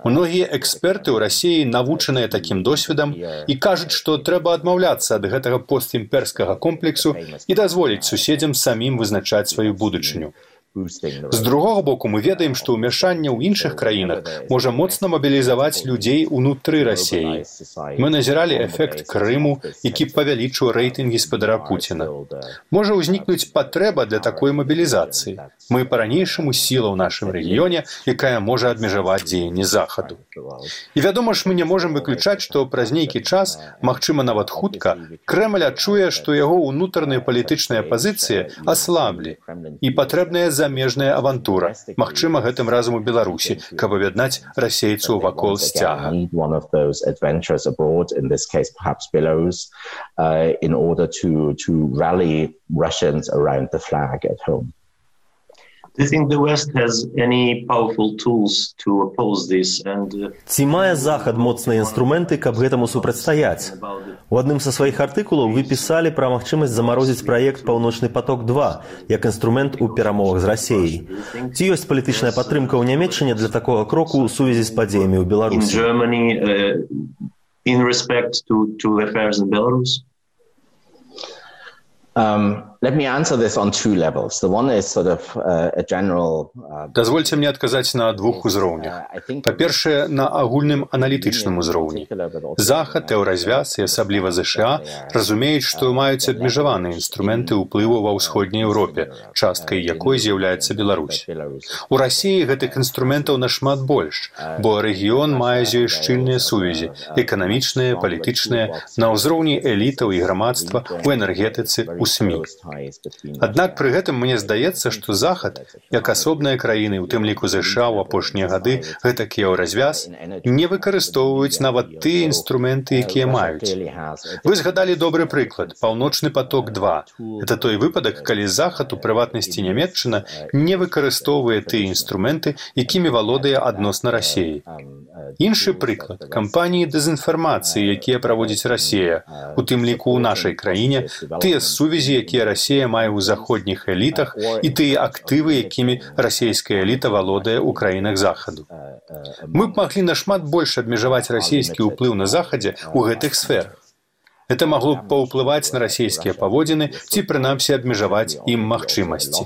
Многія эксперты ў Расіі навучаныя такім досведам і кажуць, што трэба адмаўляцца ад гэтага постімперскага комплексу і дазволіць суседзям самім вызначаць сваю будучыню. З другога боку, мы ведаем, што ўмяшанне ў іншых краінах можа моцна мабілізаваць людзей унутры Расіі. Мы назіралі эфект Крыму, які павялічыў рэйтынгі спадара Пуціна. Можа ўзнікнуць патрэба для такой мабілізацыі. Мы па-ранейшаму сіла ў нашым рэгіёне, якая можа абмежаваць дзеянні Захаду. І вядома ж, мы не можам выключаць, што праз нейкі час, магчыма нават хутка, Крэмль адчуе, што яго ўнутраныя палітычныя пазіцыі аслаблі і патрэбная замежная авантура, магчыма, гэтым разам у Беларусі, каб аб'яднаць расейцаў вакол сцяга. Ці мае Захад моцныя інструменты, каб гэтаму супрацьстаяць? У адным са сваіх артыкулаў вы пісалі пра магчымасць замарозіць праект «Паўночны поток-два» як інструмент у перамовах з Расіяй. Ці ёсць палітычная падтрымка ў Нямецчыне для такога кроку ў сувязі з падзеямі ў Беларусі? Дазвольце мне адказаць на двух узроўнях. Па-першае, на агульным аналітычным узроўні. Захад, еўразвяз і асабліва ЗША разумеюць, што маюць абмежаваныя інструменты ўплыву ва ўсходняй Еўропе, часткай якой з'яўляецца Беларусь. У Расіі гэтых інструментаў нашмат больш, бо рэгіён мае з ёй шчыльныя сувязі, эканамічныя, палітычныя, на ўзроўні элітаў і грамадства, у энергетыцы, у СМІ. Аднак пры гэтым мне здаецца, што Захад, як асобныя краіны, у тым ліку ЗША ў апошнія гады, гэтак еўразвяз, не выкарыстоўваюць нават тыя інструменты, якія маюць. Вы згадалі добры прыклад – «Паўночны поток-два». Гэта той выпадак, калі Захад, у прыватнасці Нямецчына, не выкарыстоўвае тыя інструменты, якімі валодае адносна Расіі. Іншы прыклад – кампаніі дэзінфармацыі, якія праводзіць Расія, у тым ліку ў нашай краіне, тыя сувязі, якія Расія мае ў заходніх элітах і тыя актывы, якімі расійская эліта валодае ў краінах Захаду. Мы б маглі нашмат больш абмежаваць расійскі ўплыў на Захадзе ў гэтых сферах. Это магло б паўплываць на расійскія паводзіны ці, прынамсі, абмежаваць ім магчымасці.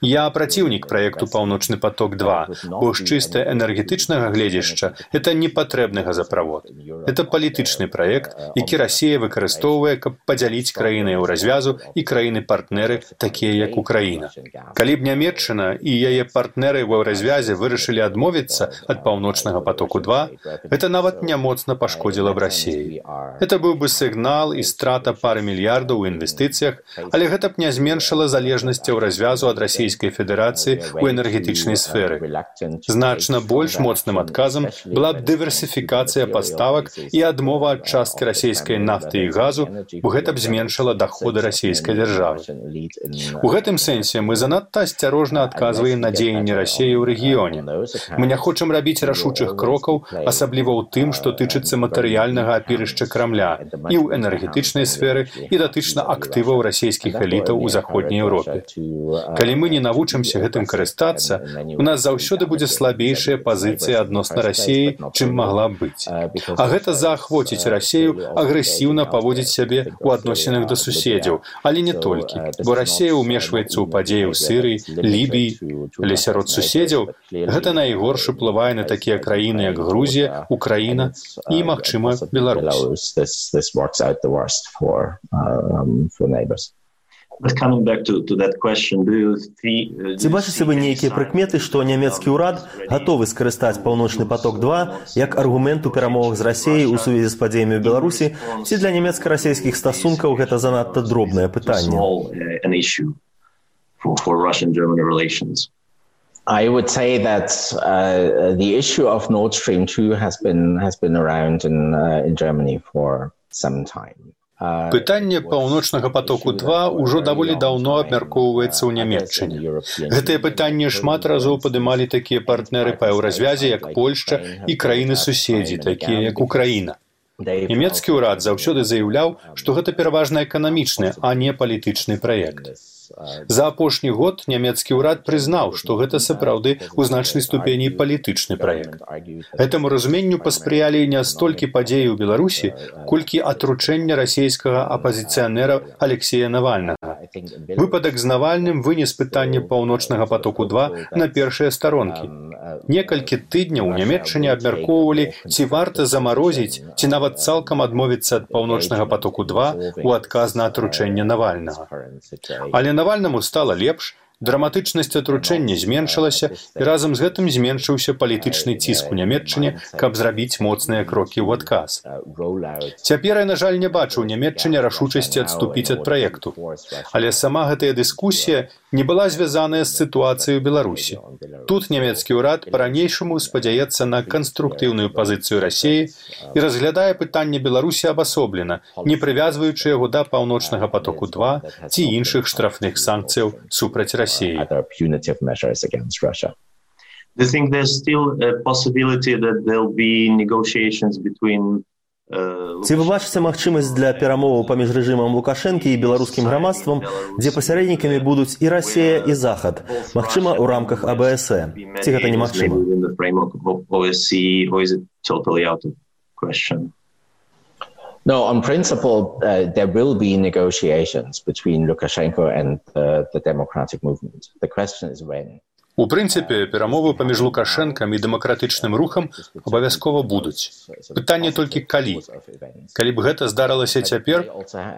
Я праціўнік праекту «Паўночны поток-два», бо з чыста энергетычнага гледзяшча это не патрэбны газаправод. Это палітычны праект, які Расія выкарыстоўвае, каб падзяліць краіны еўразвязу і краіны-партнеры, такія як Украіна. Калі б Нямецчына і яе партнеры ў еўразвязе вырашылі адмовіцца ад «Паўночнага потоку-два», это нават не моцна пашкодзіла б Расіі. Это быў бы сігнал і страта пары мільярдаў у інвестыцыях, але гэта б не зменшыла залежнасць еўразвязу ад Расійскай Федэрацыі ў энергетычнай сферы. Значна больш моцным адказам была б дыверсіфікацыя паставак і адмова ад часткі расійскай нафты і газу, бо гэта б зменшыла даходы расійскай дзяржавы. У гэтым сэнсе мы занадта асцярожна адказваем на дзеянні Расіі ў рэгіёне. Мы не хочам рабіць рашучых крокаў, асабліва ў тым, што тычыцца матэрыяльнага апірышча Крамля, і ў энергетычнай сферы, і датычна актываў расійскіх элітаў у заходняй Еўропе. Калі мы не навучымся гэтым карыстацца, у нас заўсёды будзе слабейшая пазіцыя адносна Расіі, чым магла б быць. А гэта заахвоціць Расію агрэсіўна паводзіць сябе ў адносінах да суседзяў, але не толькі, бо Расія ўмешваецца ў падзеі ў Сірыі, Лібіі, але сярод суседзяў гэта найгорш уплывае на такія краіны, як Грузія, Украіна і, магчыма, Беларусь. Ці бачыце вы нейкія прыкметы, што нямецкі ўрад гатовы скарыстаць паўночны поток два як аргумент у перамовах з Расіяй у сувязі з падзеямі ў Беларусі, ці для нямецка-расійскіх стасункаў гэта занадта дробнае пытанне? I would say that uh, the issue of Nord Stream two has been has been around in uh, in Germany for some time. Пытанне паўночнага потоку два ўжо даволі даўно абмяркоўваецца ў Нямецчыне. Гэтае пытанне шмат разоў падымалі такія партнеры па еўразвязе, як Польшча і краіны-суседзі, такія як Украіна. Нямецкі ўрад заўсёды заяўляў, што гэта пераважна эканамічны, а не палітычны праект. За апошні год нямецкі ўрад прызнаў, што гэта сапраўды ў значнай ступені палітычны праект. Гэтаму разуменню паспрыялі не столькі падзеі ў Беларусі, колькі атручэння расійскага апазіцыянера Алексея Навальнага. Выпадак з Навальным вынес пытанне паўночнага потоку два на першыя старонкі. Некалькі тыдняў у Нямецчыне абмяркоўвалі, ці варта замарозіць, ці нават цалкам адмовіцца ад паўночнага потоку два ў адказ на атручэнне Навальнага. Але Навальнаму стала лепш, драматычнасць атручэння зменшылася, і разам з гэтым зменшыўся палітычны ціск у Нямецчыне, каб зрабіць моцныя крокі ў адказ. Цяпер я, на жаль, не бачу ў Нямецчыне рашучасці адступіць ад праекту. Але сама гэтая дыскусія не была звязаная з сітуацыяй у Беларусі. Тут нямецкі ўрад па-ранейшаму спадзяецца на канструктыўную пазіцыю Расіі і разглядае пытанне Беларусі абасоблена, не прывязваючы яго да паўночнага потоку два ці іншых штрафных санкцыяў супраць Расіі. Other punitive measures against Russia. Do you think there's still a possibility that there'll be negotiations between Ці вы бачыце магчымасць для перамоваў паміж рэжымам Лукашэнкі і беларускім грамадствам, дзе пасярэднікамі будуць і Расія, і Захад, магчыма, у рамках А Б С Е? Ці гэта немагчыма? No, on principle, uh, there will be negotiations between Lukashenko and uh, the democratic movement. The question is when. У прынцыпе, перамовы паміж Лукашэнкам і дэмакратычным рухам абавязкова будуць. Пытанне толькі калі. Калі б гэта здарылася цяпер,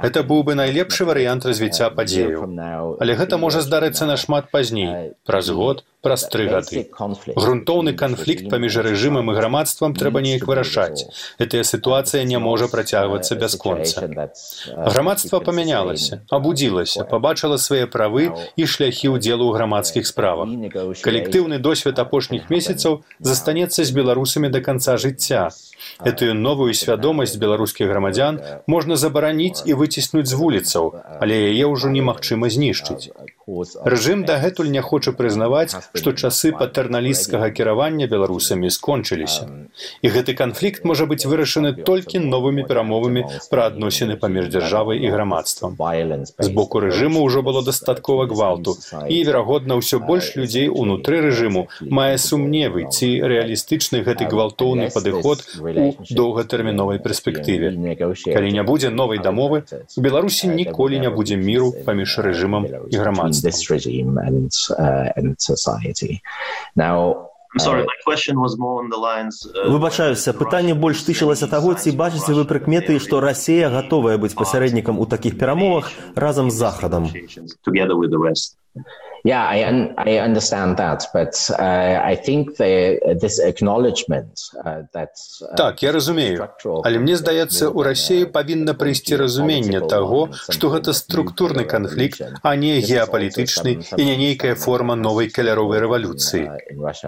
гэта быў бы найлепшы варыянт развіцця падзеяў. Але гэта можа здарыцца нашмат пазней, праз год, праз тры гады. Грунтоўны канфлікт паміж рэжымам і грамадствам трэба неяк вырашаць. Гэтая сітуацыя не можа працягвацца бясконца. Грамадства памянялася, абудзілася, пабачыла свае правы і шляхі ўдзелу ў грамадскіх справах. Калектыўны досвед апошніх месяцаў застанецца з беларусамі да канца жыцця. Этую новую свядомасць беларускіх грамадзян можна забараніць і выціснуць з вуліцаў, але яе ўжо немагчыма знішчыць. Рэжым дагэтуль не хоча прызнаваць, што часы патэрналісцкага кіравання беларусамі скончыліся. І гэты канфлікт можа быць вырашаны толькі новымі перамовамі пра адносіны паміж дзяржавай і грамадствам. З боку рэжыму ўжо было дастаткова гвалту, і, верагодна, ўсё больш людзей унутры рэжыму мае сумневы, ці рэалістычны гэты гвалтоўны падыход у доўгатэрміновай перспектыве. Калі не будзе новай дамовы, у Беларусі ніколі не будзе міру паміж рэжымам і грамадствам. This regime and uh, and society. Now, Выбачаюся, пытанне больш тычылася таго, ці бачыце вы прыкметы, што Расія гатовая быць пасярэднікам у такіх перамовах разам з Захадам? Yeah, I, un I understand that, but uh, I think the, this acknowledgement uh, that... Uh, так, я разумею. Але мне здаецца, у Расіі павінна прыйсці разуменне таго, што гэта структурны канфлікт, а не геапалітычны і не нейкая форма новай каляровай рэвалюцыі.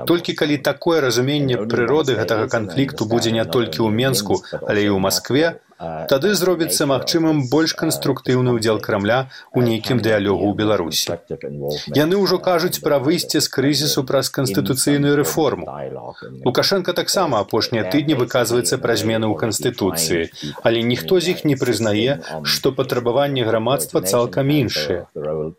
Толькі калі такое разуменне прыроды гэтага канфлікту будзе не толькі ў Менску, але і ў Маскве, тады зробіцца магчымым больш канструктыўны ўдзел Крамля ў нейкім дыялогу ў Беларусі. Яны ўжо кажуць пра выйсце з крызісу праз канстытуцыйную рэформу. Лукашенко таксама апошнія тыдні выказваецца пра змены ў Канстытуцыі, але ніхто з іх не прызнае, што патрабаванні грамадства цалкам іншыя.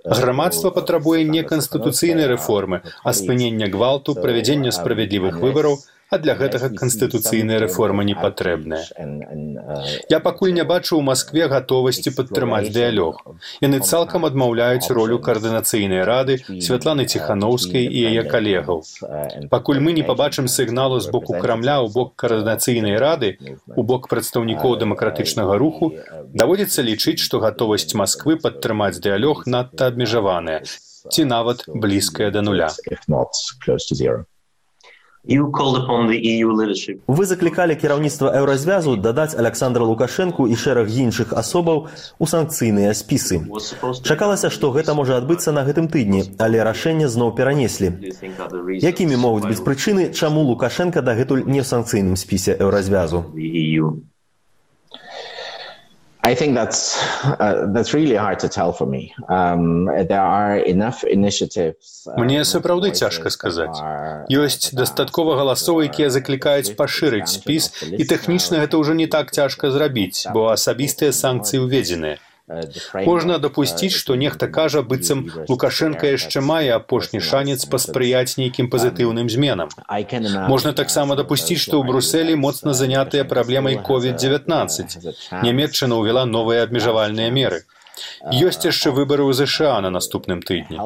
Грамадства патрабуе не канстытуцыйнай рэформы, а спынення гвалту, правядзення справядлівых выбараў, а для гэтага канстытуцыйная рэформа не патрэбная. Я пакуль не бачу ў Маскве гатовасці падтрымаць дыялог. Яны цалкам адмаўляюць ролю каардынацыйнай рады Святланы Ціханаўскай і яе калегаў. Пакуль мы не пабачым сігналу з боку Крамля ў бок каардынацыйнай рады, у бок прадстаўнікоў дэмакратычнага руху, даводзіцца лічыць, што гатовасць Масквы падтрымаць дыялог надта абмежаваная, ці нават блізкая да нуля. Вы заклікалі кіраўніцтва Еўразвязу дадаць Аляксандра Лукашэнку і шэраг іншых асобаў у санкцыйныя спісы. Чакалася, што гэта можа адбыцца на гэтым тыдні, але рашэнне зноў перанеслі. Якімі могуць быць прычыны, чаму Лукашенка дагэтуль не ў санкцыйным спісе Еўразвязу? I think that's uh, that's really hard to tell for me. Um, there are enough initiatives. Мне сапраўды цяжка сказаць. Ёсць дастаткова галасоў, якія заклікаюць пашырыць спіс, і тэхнічна гэта ўжо не так цяжка зрабіць, бо асабістыя санкцыі ўведзеныя. Можна дапусціць, што нехта кажа, быццам Лукашенка яшчэ мае апошні шанец паспрыяць нейкім пазітыўным зменам. Можна таксама дапусціць, што ў Брусэлі моцна занятыя праблемай ковід дзевятнаццаць. Нямецчына ўвяла новыя абмежавальныя меры. Ёсць яшчэ выбары ў ЗША на наступным тыдні.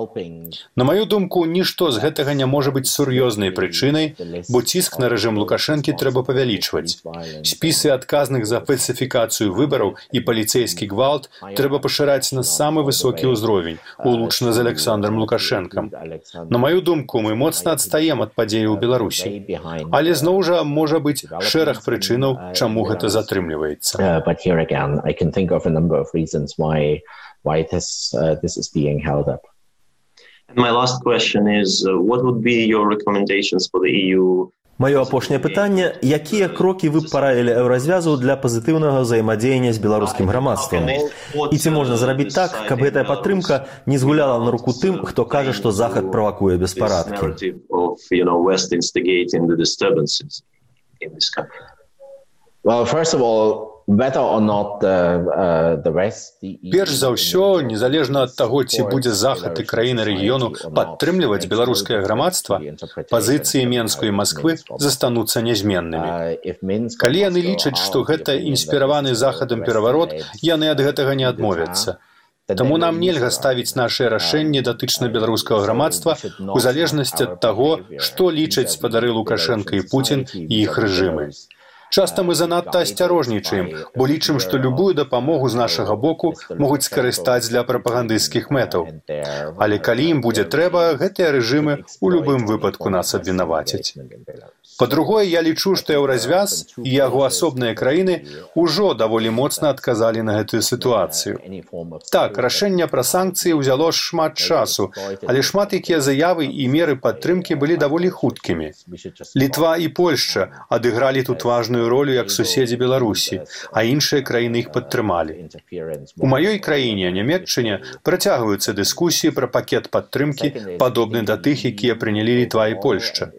На маю думку, нішто з гэтага не можа быць сур'ёзнай прычынай, бо ціск на рэжым Лукашэнкі трэба павялічваць. Спісы адказных за фальсіфікацыю выбараў і паліцэйскі гвалт трэба пашыраць на самы высокі ўзровень, улучна з Аляксандрам Лукашэнкам. На маю думку, мы моцна адстаем ад падзеяў у Беларусі. Але зноў жа можа быць шэраг прычынаў, чаму гэта затрымліваецца. why this uh, this is being held up. And my last question is, uh, what would be your recommendations for the E U? Маё апошняе пытанне, якія крокі вы б параілі Еўразвязу для пазітыўнага ўзаемадзеяння з беларускім грамадствам? І ці можна зрабіць так, каб гэтая падтрымка не згуляла на руку тым, хто кажа, што Захад правакуе беспарадкі? Well, first of all, whether or not the, uh, the West... Перш за ўсё, незалежна ад таго, ці будзе Захад і краіны рэгіёну падтрымліваць беларускае грамадства, пазіцыі Менску і Масквы застануцца нязменнымі. Калі яны лічаць, што гэта інспіраваны Захадам пераварот, яны ад гэтага не адмовяцца. Таму нам нельга ставіць нашыя рашэнні датычна беларускага грамадства у залежнасці ад таго, што лічаць спадары Лукашенка і Пуцін і іх рэжымы. Часта мы занадта асцярожнічаем, бо лічым, што любую дапамогу з нашага боку могуць скарыстаць для прапагандысцкіх мэтаў. Але калі ім будзе трэба, гэтыя рэжымы ў любым выпадку нас абвінавацяць. Па-другое, я лічу, што Еўразвяз і яго асобныя краіны ўжо даволі моцна адказалі на гэтую сітуацыю. Так, рашэнне пра санкцыі ўзяло шмат часу, але шмат якія заявы і меры падтрымкі былі даволі хуткімі. Літва і Польшча адыгралі тут важную ролю як суседзі Беларусі, а іншыя краіны іх падтрымалі. У маёй краіне, Нямецчыне, працягваюцца дыскусіі пра пакет падтрымкі, падобны да тых, якія прынялі Літва і Польшча.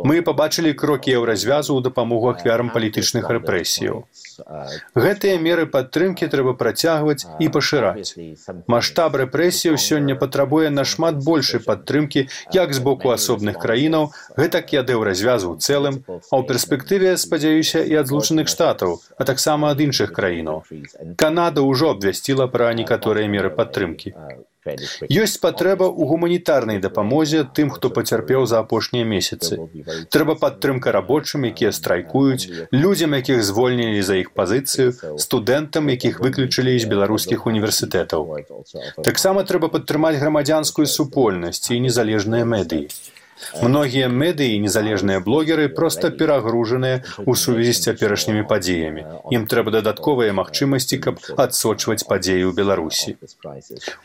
Мы пабачылі крокі Еўразвязу ў дапамогу ахвярам палітычных рэпрэсіяў. Гэтыя меры падтрымкі трэба працягваць і пашыраць. Маштаб рэпрэсіяў сёння патрабуе нашмат большай падтрымкі як з боку асобных краінаў, гэтак і ад Еўразвязу ў цэлым, а ў перспектыве, спадзяюся, і ад Злучаных Штатаў, а таксама ад іншых краінаў. Канада ўжо абвясціла пра некаторыя меры падтрымкі. Ёсць патрэба ў гуманітарнай дапамозе тым, хто пацярпеў за апошнія месяцы. Трэба падтрымка рабочым, якія страйкуюць, людзям, якіх звольнілі за іх пазіцыю, студэнтам, якіх выключылі з беларускіх універсітэтаў. Таксама трэба падтрымаць грамадзянскую супольнасць і незалежныя медыі. Многія медыі і незалежныя блогеры проста перагружаныя ў сувязі з цяперашнімі падзеямі. Ім трэба дадатковыя магчымасці, каб адсочваць падзеі ў Беларусі.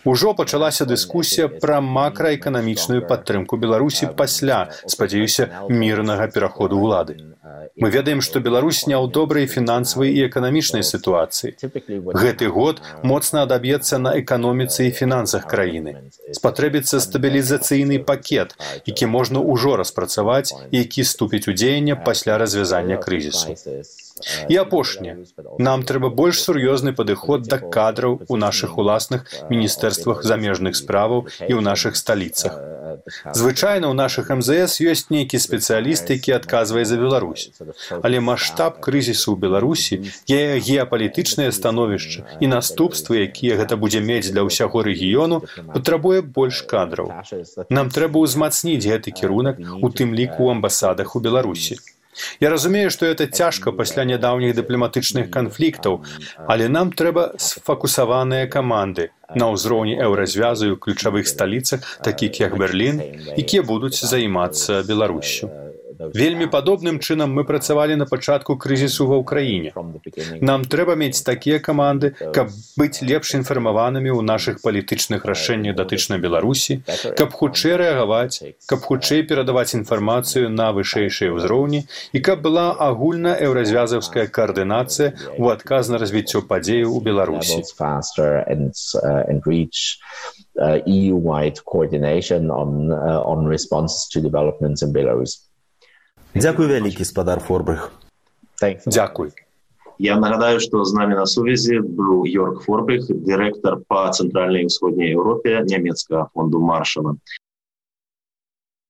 Ужо пачалася дыскусія пра макраэканамічную падтрымку Беларусі пасля, спадзяюся, мірнага пераходу ўлады. Мы ведаем, што Беларусь не ў добрай фінансавай і эканамічнай сітуацыі. Гэты год моцна адаб'ецца на эканоміцы і фінансах краіны. Спатрэбіцца стабілізацыйны пакет, які можна ўжо распрацаваць і які ступіць у дзеянне пасля развязання крызісу. І апошняе. Нам трэба больш сур'ёзны падыход да кадраў у нашых уласных міністэрствах замежных справаў і ў нашых сталіцах. Звычайна ў нашых эм зэ эс ёсць нейкі спецыяліст, які адказвае за Беларусь. Але маштаб крызісу ў Беларусі, яе геапалітычнае становішча і наступствы, якія гэта будзе мець для ўсяго рэгіёну, патрабуе больш кадраў. Нам трэба ўзмацніць гэты кірунак, у тым ліку ў амбасадах у Беларусі. Я разумею, што гэта цяжка пасля нядаўніх дыпламатычных канфліктаў, але нам трэба сфокусаваныя каманды на ўзроўні еўразвязу і ў ключавых сталіцах, такіх як Берлін, якія будуць займацца Беларуссю. Вельмі падобным чынам мы працавалі на пачатку крызісу ва ўкраіне. Нам трэба мець такія каманды, каб быць лепш інфармаванымі ў нашых палітычных рашэннях датычна Беларусі, каб хутчэй рэагаваць, каб хутчэй перадаваць інфармацыю на вышэйшыя ўзроўні і каб была агульна еўразвязаўская каардынацыя ў адказ на развіццё падзеяў у Беларусі. E U-wide coordination on, uh, on responses to developments in Belarus. Дзякуй вялікі, спадар Форбрых. Дзякуй. Я нагадаю, што з намі на сувязі быў Йорк Форбрых, дырэктар па цэнтральнай і ўсходняй Еўропе нямецкага фонду Маршала.